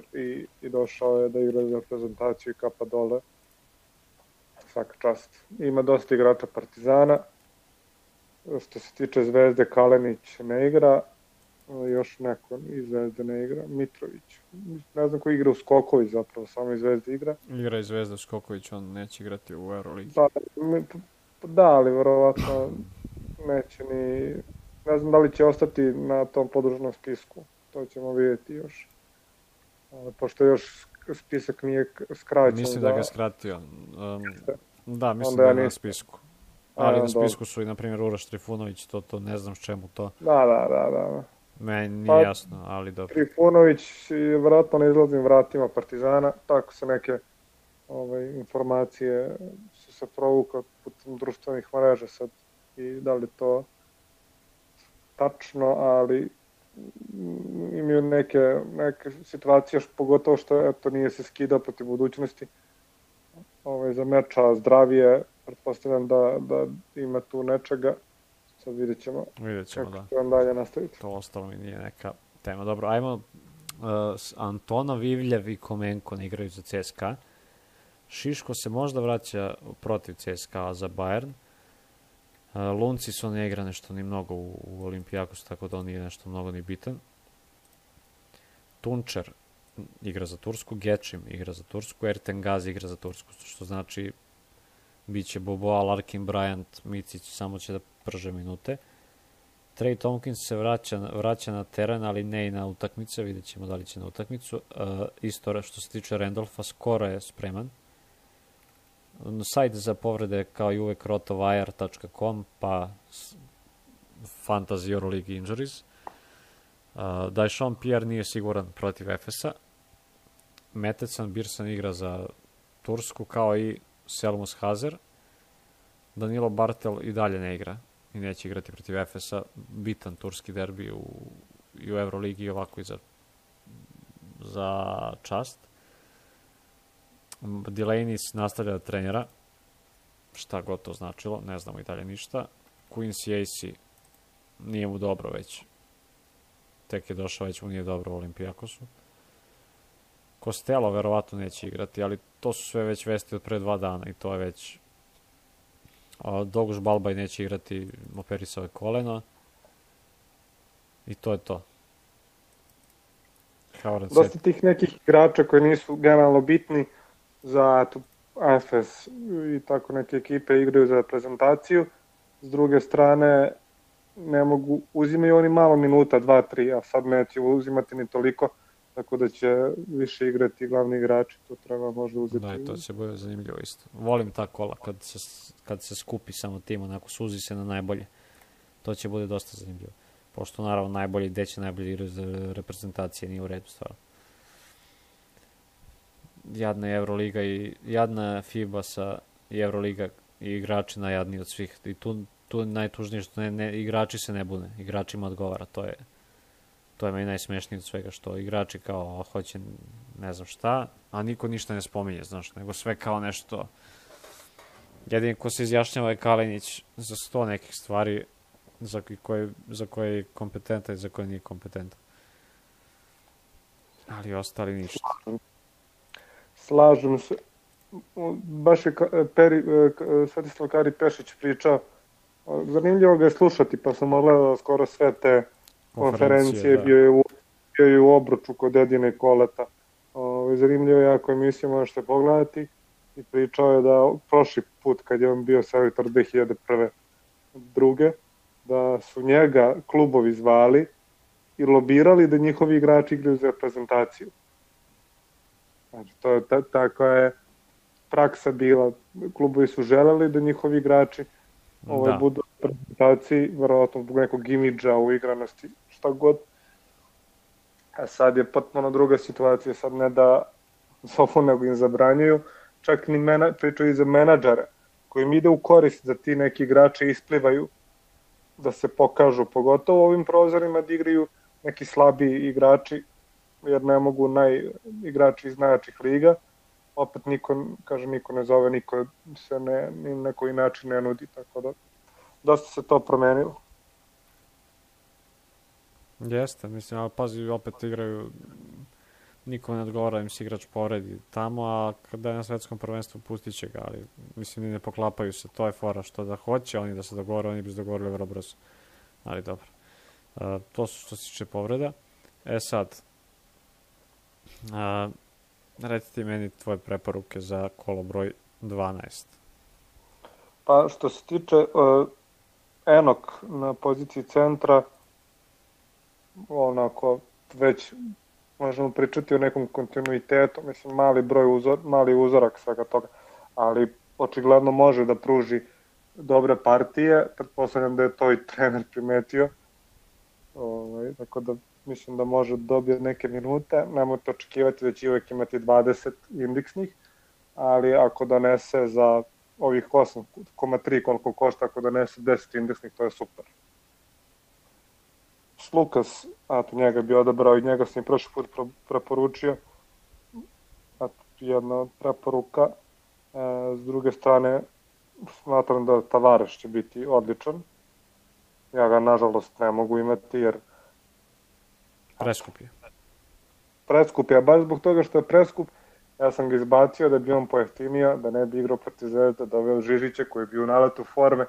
i došao je da igra za reprezentaciju i kapa dole. Svaka čast. Ima dosta igrača Partizana. Što se tiče Zvezde, Kalenić ne igra, još neko iz Zvezde ne igra, Mitrović. Ne znam ko igra u Skoković zapravo, samo iz Zvezde igra. Igra iz Zvezde u Skoković, on neće igrati u Euroligi. Da, ali verovatno neće ni... Ne znam da li će ostati na tom podružnom spisku, to ćemo vidjeti još. Pošto još spisak nije skraćen. Mislim da ga je skratio. Da, mislim da je na spisku. Ali na spisku su i, na primjer, Uroš Trifunović, to ne znam s čemu to. Da. Meni nije jasno, ali dobro. Trifunović je vratno na izlaznim vratima Partizana, tako se neke informacije su se provukle putem društvenih mreža sad i da li to tačno, ali imaju neke situacije, pogotovo što nije se skidao protiv budućnosti za meča zdravije, pretpostavljam da ima tu nečega. Sad vidjet ćemo kako će vam dalje nastaviti. To ostalo mi nije neka tema. Dobro, ajmo Antona, Vivljev i Komenko ne igraju za CSKA. Šiško se možda vraća protiv CSKA za Bayern. Lunciso ne igra nešto ni mnogo u Olimpijakosu, tako da on nije nešto mnogo ni bitan. Tunčer igra za Tursku, Gečim igra za Tursku, Erten Gazi igra za Tursku, što znači bit će Boboa, Larkin, Bryant, Micić, samo će da prže minute. Trey Tompkins se vraća na teren, ali ne i na utakmice, vidjet ćemo da li će na utakmicu. Isto što se tiče Randolfa, skoro je spreman. Sajt za povrede kao i uvek rotovire.com pa Fantasy Euroleague Injuries. Dajšon Pierre nije siguran protiv Efesa. Metecan Birsan igra za Tursku kao i Selmus Hazer. Danilo Bartel i dalje ne igra i neće igrati protiv Efesa. Bitan turski derbi i u Euroligi i ovako i za čast. Delaney nastavlja da trenira, šta god to značilo, ne znamo i dalje ništa. Quincy Acey nije mu dobro već, tek je došao, već mu nije dobro u Olimpijakosu. Costello verovatno neće igrati, ali to su sve već vesti od pre 2 dana i to je već... Doguš Balbaj neće igrati, operisao je koleno i to je to. Dosta tih nekih igrača koji nisu generalno bitni za AFS i tako neke ekipe igraju za reprezentaciju. S druge strane, ne mogu, uzimaju oni malo minuta, 2-3, a sad neće uzimati ni toliko, tako da će više igrati glavni igrači, to treba možda uzeti. Da, to će bude zanimljivo isto. Volim ta kola, kad se skupi samo tim, onako suzi se na najbolje. To će bude dosta zanimljivo. Pošto naravno najbolji, gde će najbolji igrati za reprezentacije, nije u redu stvarno. Jadna je Euroliga i jadna FIBA i Euroliga i igrači najjadniji od svih. I tu najtužnije što igrači se ne bune. Igračima odgovara. To je meni najsmešnije od svega, što igrači kao hoće ne znam šta, a niko ništa ne spominje, znaš, nego sve kao nešto. Jedin ko se izjašnjava je Kalenić za 100 nekih stvari za koje je kompetentan i za koje nije kompetentan. Ali ostali ništa. Slažem se. Baš je Svetislav Kari Pešić pričao. Zanimljivo ga je slušati, pa sam gledao skoro sve te konferencije. Da. Bio je u Obruču kod Edine Koleta. Zanimljivo je jako emisiju, možete pogledati. I pričao je da prošli put kad je on bio selektor 2001. druge, da su njega klubovi zvali i lobirali da njihovi igrači igraju za reprezentaciju. Znači, to je tako je praksa bila. Klubovi su želeli da njihovi igrači budu u reprezentaciji, verovatno zbog nekog imidža u igranosti, šta god. A sad je potpuno druga situacija, sad ne da zovu nego im zabranjuju, čak ni pričaju i za menadžere, koji im ide u korist da ti neki igrači isplivaju, da se pokažu, pogotovo u ovim prozorima da igraju neki slabiji igrači, jer ne mogu igrači iz najjačih liga, opet niko ne zove, niko se ni na koji način ne nudi, tako da dosta se to promenilo. Jeste, mislim, ali pazi, opet igraju, niko ne odgovara, im se igrač poredi tamo, a kada je na svetskom prvenstvu pustit će ga, ali mislim, ne poklapaju se, to je fora što da hoće, oni da se dogovore, oni bi se dogovorili vrlo brzo, ali dobro. To su što se tiče povreda. Sad, recite meni tvoje preporuke za kolo broj 12. Pa što se tiče Enok na poziciji centra, onako već možemo pričati o nekom kontinuitetu, mislim mali uzorak svega toga, ali očigledno može da pruži dobre partije, pretpostavljam da je to i trener primetio, tako da mislim da može da dobije neke minute, nemojte očekivati da će uvek imati 20 indeksnih, ali ako donese za ovih 8,3 koliko košta, ako donese 10 indeksnih, to je super. Lukas, njega bi odabrao i njega sam i prošli put preporučio. Jedna od preporuka. S druge strane, smatram da Tavares će biti odličan. Ja ga, nažalost, ne mogu imati jer... Preskup je. Preskup je, a baš zbog toga što je preskup, ja sam ga izbacio da bi on pojeftinio, da ne bi igrao protiv Zvezde, da ove Žižića koji bi u naletu forme,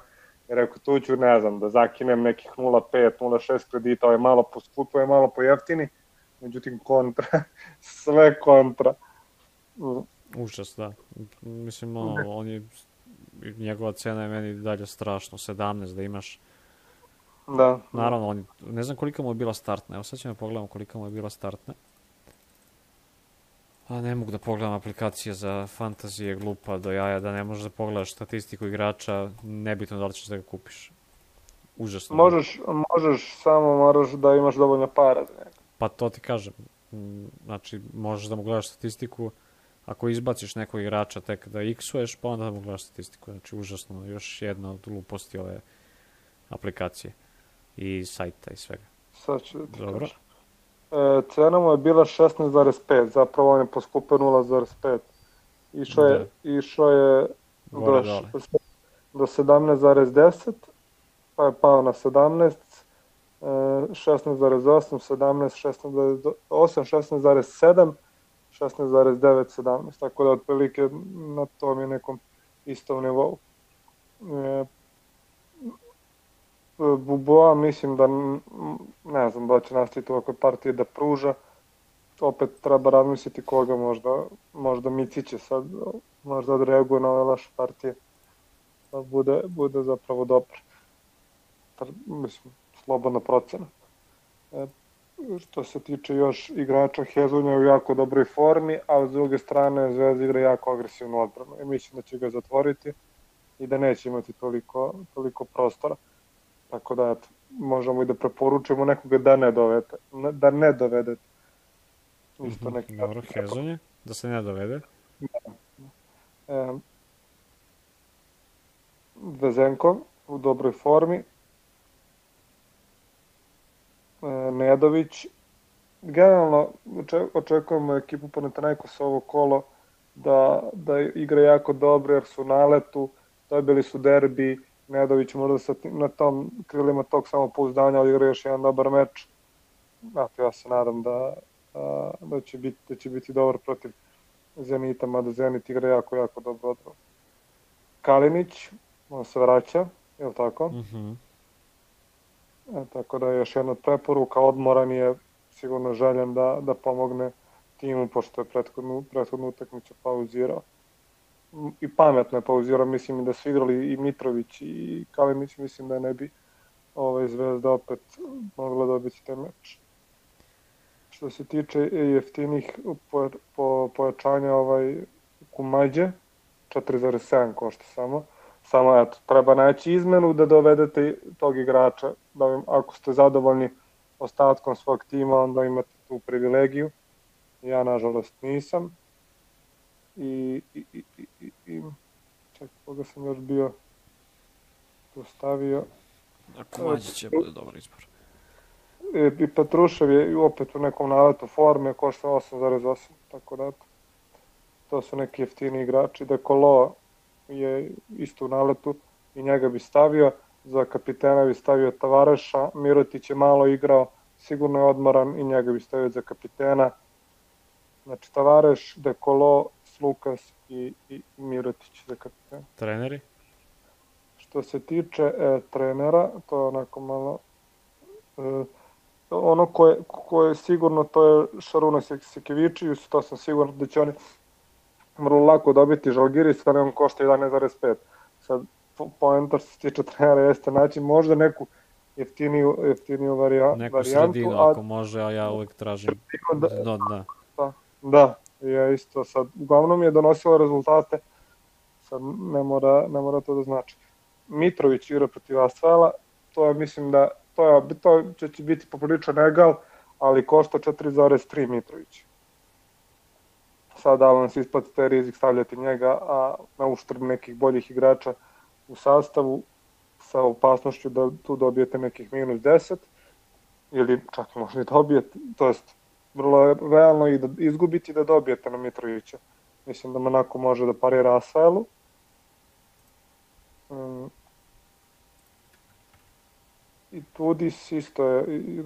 jer ako tu ću, ne znam, da zakinem nekih 0,5, 0,6 kredita, ovo je malo poskupo, ovo je malo pojeftini, međutim kontra, sve kontra. Užas, da. Mislim, njegova cena je meni dalje strašno, 17 da imaš. Da. Naravno, ne znam kolika mu je bila startna, evo sad ćemo pogledamo kolika mu je bila startna. A ne mogu da pogledam aplikacije za fantazije, glupa do jaja, da ne možeš da pogledaš statistiku igrača, nebitno da li ćeš da ga kupiš. Užasno. Možeš, samo moraš da imaš dovoljno para za njega. Pa to ti kažem. Znači, možeš da mu gledaš statistiku, ako izbaciš nekog igrača tek da x-uješ, pa onda da mu gledaš statistiku. Znači, užasno, još jedna od gluposti ove aplikacije i sajta i svega. Sad ću da ti kažem. Cena mu je bila 16,5, zapravo on je poskupio 0,5. Išao je do 17,10, pa je pao na 17, 16,8, 17, 16,8, 16,7, 16,9, 17, tako da otprilike na tom je nekom istom nivou. Buboa mislim da ne znam da će nastaviti ovakve partije da pruža, opet treba razmisliti koga, možda Micić će sad možda odreaguje na ove loše partije, da bude zapravo dobar. Mislim, slobodna procena. Što se tiče još igrača, Hezonja je u jako dobroj formi, a s druge strane Zvezda igra jako agresivnu odbranu i mislim da će ga zatvoriti i da neće imati toliko prostora. Tako da, možemo i da preporučujemo nekoga da ne dovedete. Dobro, Hezonje, da se ne dovede. Vezenko u dobroj formi. Nedović. Generalno, očekujemo ekipu Panathinaikosa ovo kolo da igra jako dobro jer su u naletu, dobili su derbi, Nedović možda na tom krilima tog samopouzdanja odigra još jedan dobar meč. Ja se nadam da će biti dobar protiv Zenita, mada Zenit igra jako, jako dobro odbranu. Kalinić, on se vraća, je li tako? Tako da je još jedna preporuka, odmoran je, sigurno željen da pomogne timu, pošto je prethodnu utakmicu pauzirao. I pametno je pauzirao, mislim da su igrali i Mitrović i Kalinić, mislim da ne bi Zvezda opet mogla dobiti taj meč. Što se tiče jeftinih pojačanja, Kumađe, 4,7 košta samo. Samo, eto, treba naći izmenu da dovedete tog igrača. Ako ste zadovoljni ostatkom svog tima, onda imate tu privilegiju. Ja, nažalost, nisam. Čekaj, koga sam još bio tu stavio. Kumađe će bude dobar izbor. I Petrušev je opet u nekom naletu forme, košta 8,8, tako da to su neki jeftini igrači. Dekolo je isto u naletu i njega bi stavio, za kapitena bi stavio Tavareša, Mirotić je malo igrao, sigurno je odmoran i njega bi stavio za kapitena. Znači Tavareš, Dekolo, Slukas i Mirotić za kapitena. Treneri? Što se tiče trenera, to je onako malo... ono ko je sigurno, to je Šaruna Sekevičius, to sam sigurno da će oni vrlo lako dobiti. Žalgiris, ali on košta 11,5. Sad, poenta što se tiče trenera jeste naći možda neku jeftiniju varijantu. Neku sredinu, ako može, a ja uvek tražim do dna. Da, ja isto sad. Uglavnom je donosila rezultate, sad ne mora to da znači. Mitrović igra protiv Asvela, to je, mislim da to će biti popriličan egal, ali košta 4,3 Mitrović. Sada vam se isplati taj rizik stavljati njega, a na uštrb nekih boljih igrača u sastavu, sa opasnošću da tu dobijete nekih minus 10, ili čak možda i dobijete, to jest vrlo realno i da izgubiti da dobijete na Mitrovića. Mislim da Monako može da parira Asvelu. I Tudis isto je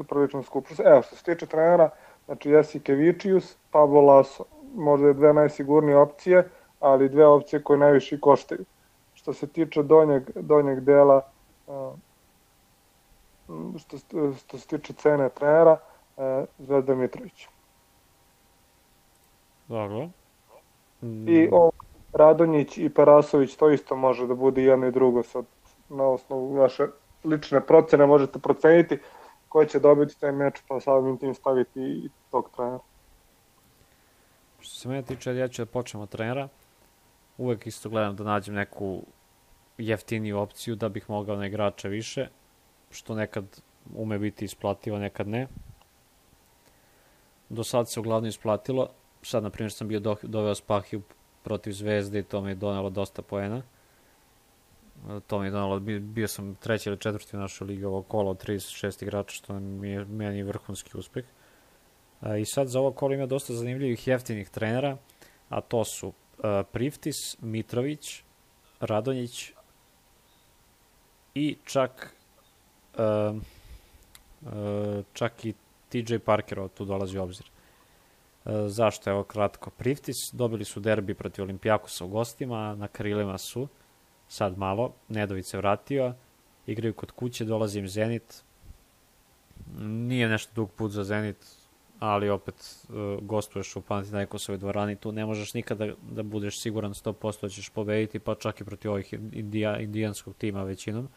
prilično skup. Evo, što se tiče trenera, znači Jasikevičius, Pablo Laso, možda je dve najsigurnije opcije, ali dve opcije koje najviše koštaju. Što se tiče donjeg dela, što se tiče cene trenera, Zvezda Mitrović. Dobro. I Radonjić i Perasović, to isto može da bude jedno i drugo, sad na osnovu vaše lične procene možete proceniti ko će dobiti taj meč, pa samim tim staviti i tog trenera. Što se mene tiče, ja ću da počnem od trenera. Uvek isto gledam da nađem neku jeftiniju opciju da bih mogao na igrača više, što nekad ume biti isplativo, nekad ne. Do sad se uglavnom isplatilo. Sad, na primjer, sam bio doveo Spahiju protiv Zvezde i to mi je donelo dosta poena. To mi je donalo, bio sam treći ili četvrti u našoj ligi ovo kolo od 36 igrača, što mi je meni vrhunski uspeh. I sad za ovo kolo ima dosta zanimljivih jeftinih trenera, a to su Priftis, Mitrović, Radonjić i čak i TJ Parker tu dolazi u obzir. Zašto? Evo kratko. Priftis dobili su derbi protiv Olimpijakosa u gostima, na krilima su sad malo, Nedović se vratio, igraju kod kuće, dolazi im Zenit, nije nešto dug put za Zenit, ali opet gostuješ u Panathinaikosovoj dvorani, tu ne možeš nikada da budeš siguran 100% da ćeš pobediti, pa čak i protiv ovih indijanskog tima većinom.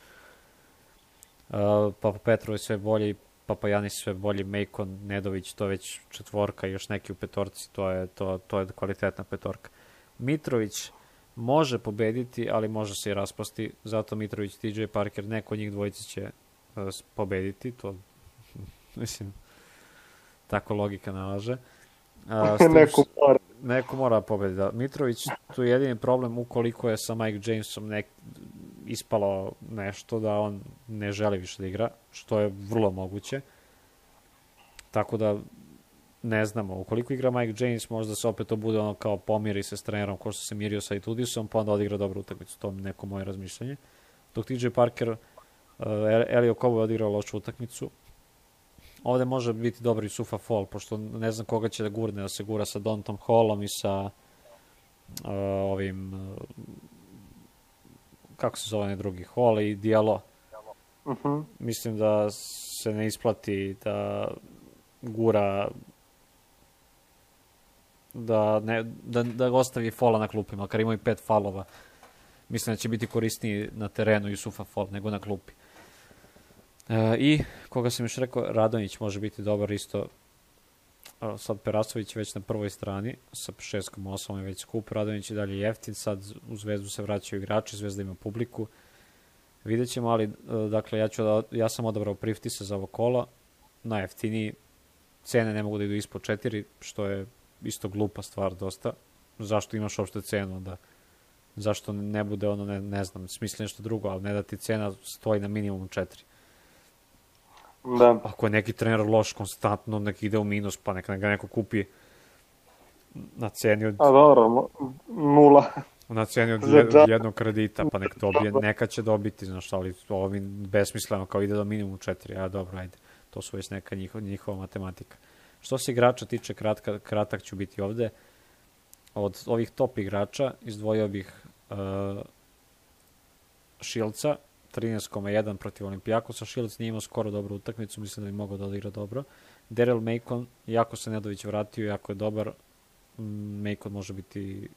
Papa Petrov je sve bolji, Papa Janis sve bolji, Mejkon, Nedović, to je već četvorka i još neki u petorci, to je kvalitetna petorka. Mitrović može pobediti, ali može se i raspasti, zato Mitrović, TJ Parker, neko od njih dvojice će pobediti, to mislim, tako logika nalaže. Neko mora pobediti. Da. Mitrović, tu je jedini problem ukoliko je sa Mike Jamesom ispalo nešto da on ne želi više da igra, što je vrlo moguće. Tako da ne znamo, ukoliko igra Mike James, možda se opet to bude ono kao pomiri se s trenerom, ko što se mirio sa Itudisom, pa onda odigra dobru utakmicu, to je neko moje razmišljanje. Dok TJ Parker, Elio Kobo je odigrao lošu utakmicu. Ovde može biti dobar i Sufa Fall, pošto ne znam koga će da gurne, da se gura sa Dontom Hallom i sa ovim, kako se zove drugi, Hall i Diallo. Mislim da se ne isplati da gura, da ostavi Falla na klupi, makar imaju 5 falova. Mislim da će biti korisniji na terenu Jusufa Fall nego na klupi. I, koga sam još rekao, Radonjić može biti dobar isto. sad Perasović već na prvoj strani sa 6,8 je već skup, Radonjić je dalje jeftin, sad u Zvezdu se vraćaju igrači, Zvezda ima publiku, vidjet ćemo, ali dakle ja sam odabrao Priftisa za ovo kolo, najjeftiniji, cene ne mogu da idu ispod 4, što je isto glupa stvar dosta, zašto imaš uopšte cenu onda, zašto ne bude ono, ne znam, smisli nešto drugo, ali ne da ti cena stoji na minimum 4. Da. Ako je neki trener loš konstantno, nek ide u minus, pa neka ga neko kupi na ceni od... A dobro, 0. Na ceni od jednog kredita, pa nek dobije, neka će dobiti, znaš, ali ovo mi besmisleno, kao ide do minimum 4, a dobro, ajde, to su već neka njihova matematika. Što se igrača tiče, kratak ću biti ovde. Od ovih top igrača izdvojio bih Šilca, 13,1 protiv Olimpijakosa. Šilc nije imao skoro dobru utakmicu, mislim da bi mogao da odigra dobro. Daryl Macon, jako se Nedović vratio, jako je dobar. Macon može biti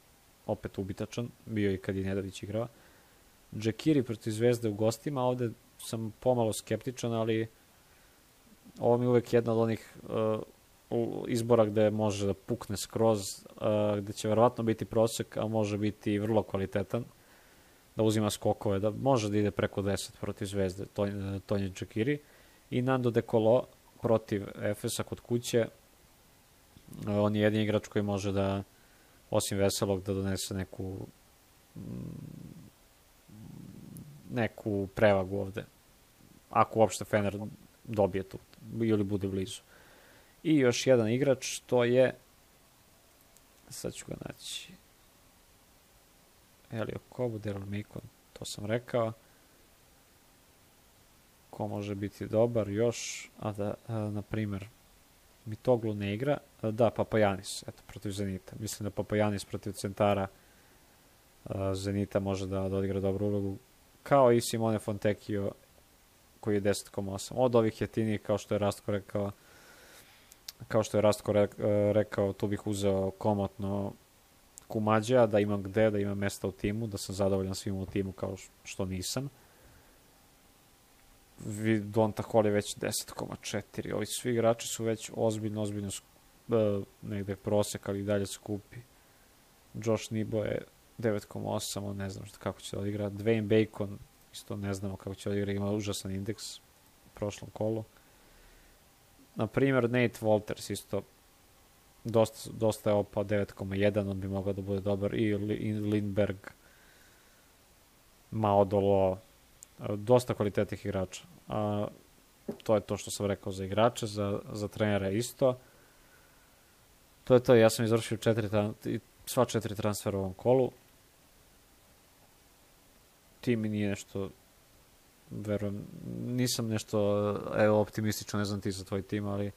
opet ubitačan, bio i kad je Nedović igrao. Džekiri protiv Zvezde u gostima, ovde sam pomalo skeptičan, ali ovo mi je uvek jedna od onih izbora gde može da pukne skroz, gde će verovatno biti prosek, a može biti vrlo kvalitetan, da uzima skokove, da može da ide preko 10 protiv Zvezde, to je Džekiri. I Nando De Colo protiv Efesa kod kuće, on je jedini igrač koji može da, osim Veselog, da donese neku prevagu ovde, ako uopšte Fener dobije tu ili bude blizu. I još jedan igrač, to je, sad ću ga naći, Elio Kobo, Daryl Macon, to sam rekao. Ko može biti dobar još, na primer, Mitoglu ne igra, da, Papajanis, eto, protiv Zenita. Mislim da Papajanis protiv centara Zenita može da odigra dobru ulogu, kao i Simone Fontecchio, koji je 10,8. Od ovih jeftinijih, kao što je Rastko rekao, tu bih uzeo komotno Kumađa, da imam gde, da imam mesta u timu, da sam zadovoljan svim u timu kao što nisam. Donta Hall je već 10,4. Ovi svi igrači su već ozbiljno negde prosek, ali i dalje skupi. Josh Nibo je 9,8, on ne znam kako će da odigra. Dwayne Bacon, isto ne znamo kako će da odigra, ima užasan indeks u prošlom kolu. Naprimer, Nate Walters isto dosta je opao, 9,1, on bi mogao da bude dobar. I Lindberg, Maodolo, dosta kvalitetnih igrača. To je to što sam rekao za igrače, za trenera isto. To je to, ja sam izvršio sva 4 transfera u ovom kolu. Tim mi nije nešto, verujem, nisam nešto optimistično, ne znam ti za tvoj tim, ali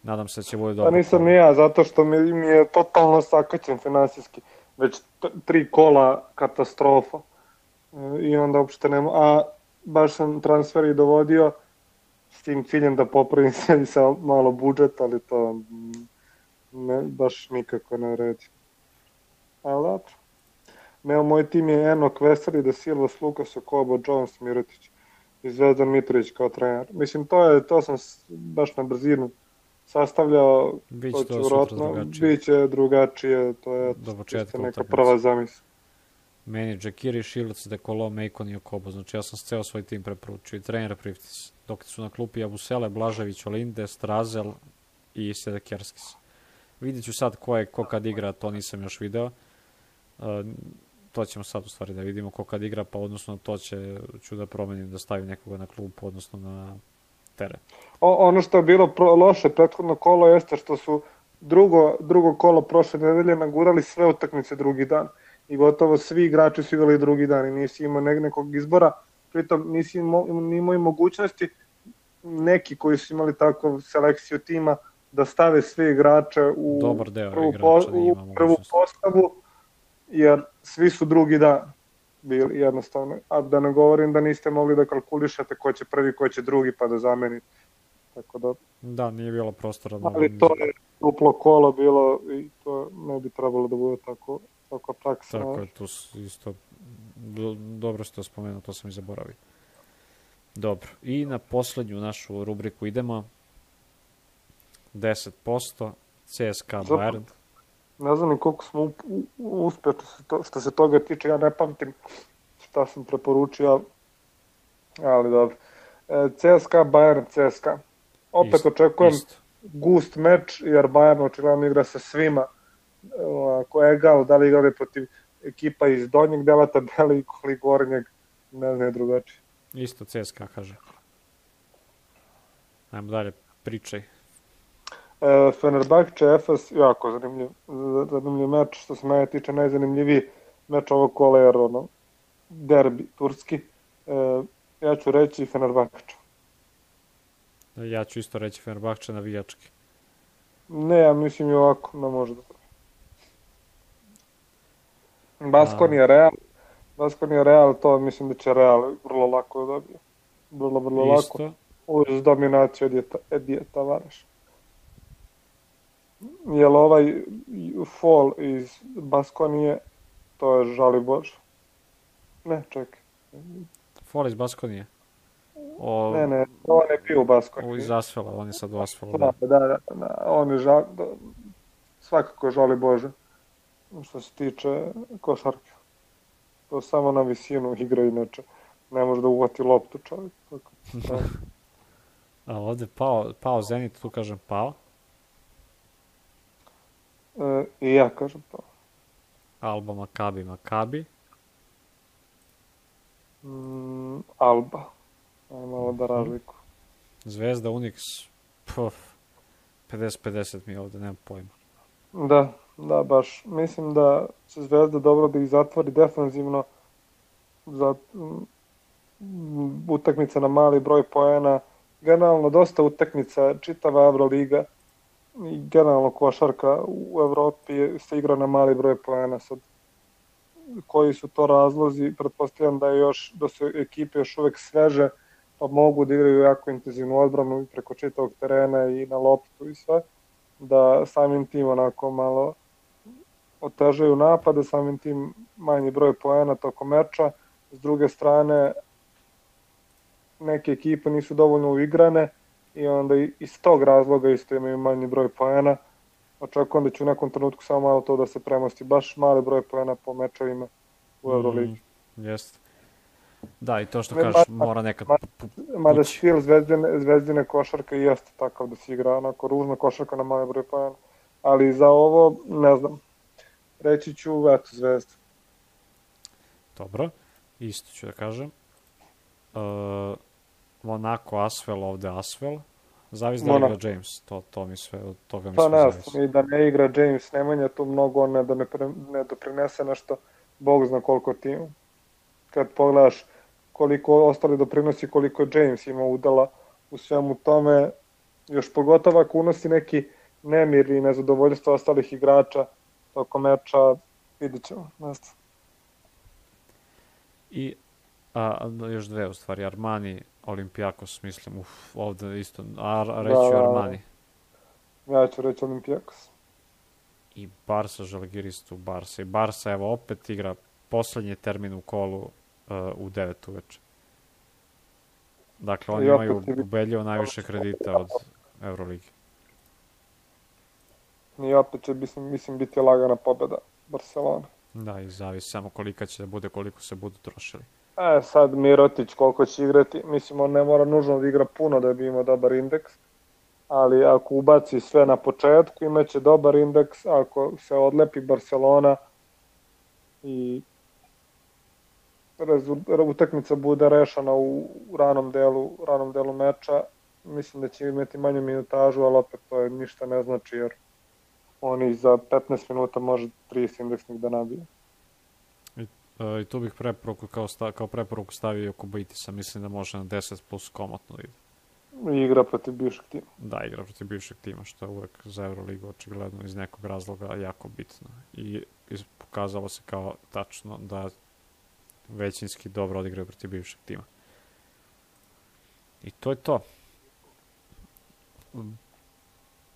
nadam se da će bude dobro. Pa nisam ni ja, zato što mi je totalno sakaćen finansijski. Već 3 kola katastrofa. I onda uopšte nema, a baš sam transfer i dovodio s tim ciljem da popravim sebi sa malo budžet, ali to baš nikako ne vredi. Ali dobro. Moj tim je Enok Veseli, De Silva, Lukas, Kobo, Jones, Mirotić i Zvezdan Mitrović kao trener. Mislim, to sam baš na brzinu sastavljao, to će vjerojatno, bit će drugačije, to je neka prva zamisla. Meni Džekiri, Šilec, De Colo, Macon i Okobo. Znači ja sam ceo svoj tim preporučio i trenera Priftis. Dok su na klupi Abusele, Blažević, Olinde, Strazel i Sedekerskis. Vidjet ću sad ko kad igra, to nisam još video. To ćemo sad u stvari da vidimo ko kad igra, pa odnosno to ću da promenim, da stavim nekoga na klupu, odnosno na teren. Ono što je bilo loše prethodno kolo jeste što su drugo kolo prošle nedelje nagurali sve utakmice drugi dan. I gotovo svi igrači su igrali drugi dan i nisi imao nekog izbora, pritom nisi imao i mogućnosti neki koji su imali takvu selekciju tima da stave sve igrače u prvu postavu, jer svi su drugi dan bili jednostavno. A da ne govorim da niste mogli da kalkulišete ko će prvi, ko će drugi pa da zamenite. Tako da... Da, nije bilo prostora. Ali to je duplo kolo bilo i to ne bi trebalo da bude tako praksa. Tako je, to isto dobro što spomenuo, to sam i zaboravio. Dobro, i na poslednju našu rubriku idemo. 10%, CSKA Bayern. Ne znam ni koliko smo uspjeli što se toga tiče, ja ne pamtim šta sam preporučio, ali dobro. CSKA Bayern, CSKA. Opet očekujem gust meč, jer Bayern očigledno igra sa svima. Ko je egal, da li igrali protiv ekipa iz donjeg dela tabeli ili gornjeg, ne znam je drugačije. Isto CSKA kaže. Ajmo dalje, pričaj. Fenerbahče, Efes, jako zanimljiv meč, što se mene tiče najzanimljiviji meč ovog kola, jer derbi turski. Ja ću reći Fenerbahče. Ja ću isto reći Fenerbahče navijački. Ne, ja mislim i ovako, ne može da. Baskonija Real, to mislim da će Real vrlo lako da dobije. Vrlo lako. Uz dominaciju Edije Tavareša. Jel ovaj fall iz Baskonije, to je žali Bože. Ne, čekaj. Fall iz Baskonije? Ne, on je bio u Baskoniji. Iz Asfela, on je sad u Asfelu. Da, on je svakako je žali Bože. Što se tiče košarke. To samo na visinu igra, inače ne može da uvati loptu čovjek. A ovde pao Zenit, tu kažem pao. I ja kažem pao. Alba, Makabi. Alba. Ajmo malo da razliku. Zvezda, Unix, 50-50 mi ovde, nemam pojma. Da, baš. Mislim da će Zvezda dobro da ih zatvori defanzivno za utakmica na mali broj poena. Generalno dosta utakmica, čitava Euroliga i generalno košarka u Evropi se igra na mali broj poena. Sad, koji su to razlozi? Pretpostavljam da su ekipe još uvek sveže, pa mogu da igraju jako intenzivnu odbranu preko čitavog terena i na loptu i sve, da samim tim onako malo otežaju napade, samim tim manji broj poena tokom meča. S druge strane, neke ekipe nisu dovoljno uigrane i onda iz tog razloga isto imaju manji broj poena. Očekujem da će u nekom trenutku samo malo to da se premosti, baš mali broj poena po mečevima u Euroligi. Jeste. Da, i to što kažeš, mora nekad mada stil zvezdine košarke jeste takav da se igra onako ružna košarka na mali broj poena. Ali za ovo, ne znam, reći ću Zvezda. Dobro, isto ću da kažem. Monako, Asvel, ovde Asvel. Zavis da igra James, to mi sve, od toga mi sve zavisi. Pa ne, i da ne igra James Nemanja, tu mnogo on ne doprinese nešto, Bog zna koliko timu. Kad pogledaš koliko ostali doprinosi, koliko James ima udela u svemu tome, još pogotovo ako unosi neki nemir i nezadovoljstvo ostalih igrača tokom meča, vidit ćemo. I još dve u stvari, Armani, Olympiakos, mislim, ovde isto, reću Armani. Ja ću reći Olympiakos. I Barsa, Žalgiris tu Barsa. I Barsa, evo, opet igra poslednji termin u kolu u 9 uveče. Dakle, oni imaju ubedljivo najviše kredita od Euroligi. I opet će, mislim, biti lagana pobeda Barcelona. Da, i zavisi samo kolika će da bude, koliko se budu trošili. Sad Mirotić koliko će igrati, mislim, on ne mora nužno da igra puno da bi imao dobar indeks, ali ako ubaci sve na početku, imaće dobar indeks, ako se odlepi Barcelona i utakmica bude rešena u ranom delu meča, mislim da će imati manju minutažu, ali opet to ništa ne znači, jer oni za 15 minuta može 30 indeksnih da nabije. I tu bih kao preporuku stavio Kubaitisa, mislim da može na 10 plus komotno ide. Igra protiv bivšeg tima. Da, igra protiv bivšeg tima, što je uvek za Euroligu očigledno iz nekog razloga jako bitno. I pokazalo se kao tačno da većinski dobro odigraju protiv bivšeg tima. I to je to.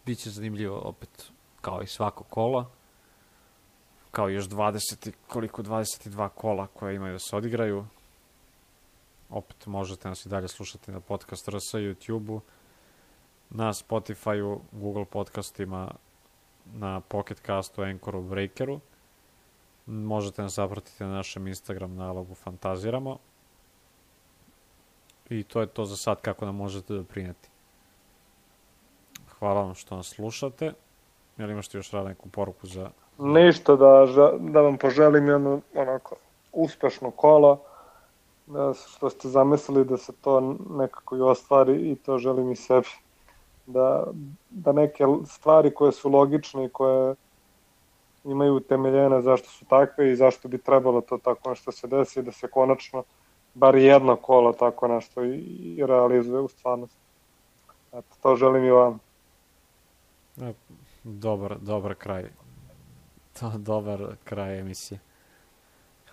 Biće zanimljivo opet, kao i svako kola, kao još 22 kola koje imaju da se odigraju. Opet možete nas i dalje slušati na podcast RS YouTube-u na Spotify-u, Google podcastima, na Pocket Castu, Anchoru, Breakeru. Možete nas zapratiti na našem Instagram nalogu Fantaziramo. I to je to za sad kako nam možete doprineti. Hvala vam što nas slušate. Jel imaš ti još neku poruku za... Ništa, da vam poželim jedno onako uspešno kolo, što ste zamislili da se to nekako i ostvari, i to želim i sebi. Da neke stvari koje su logične i koje imaju utemeljene zašto su takve i zašto bi trebalo to tako nešto se desi, da se konačno bar jedno kolo tako nešto i realizuje u stvarnosti. Eto, to želim i vam. Dobar kraj. Dobar kraj emisije.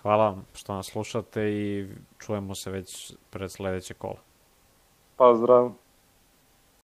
Hvala vam što nas slušate i čujemo se već pred sledeće kola. Pozdrav.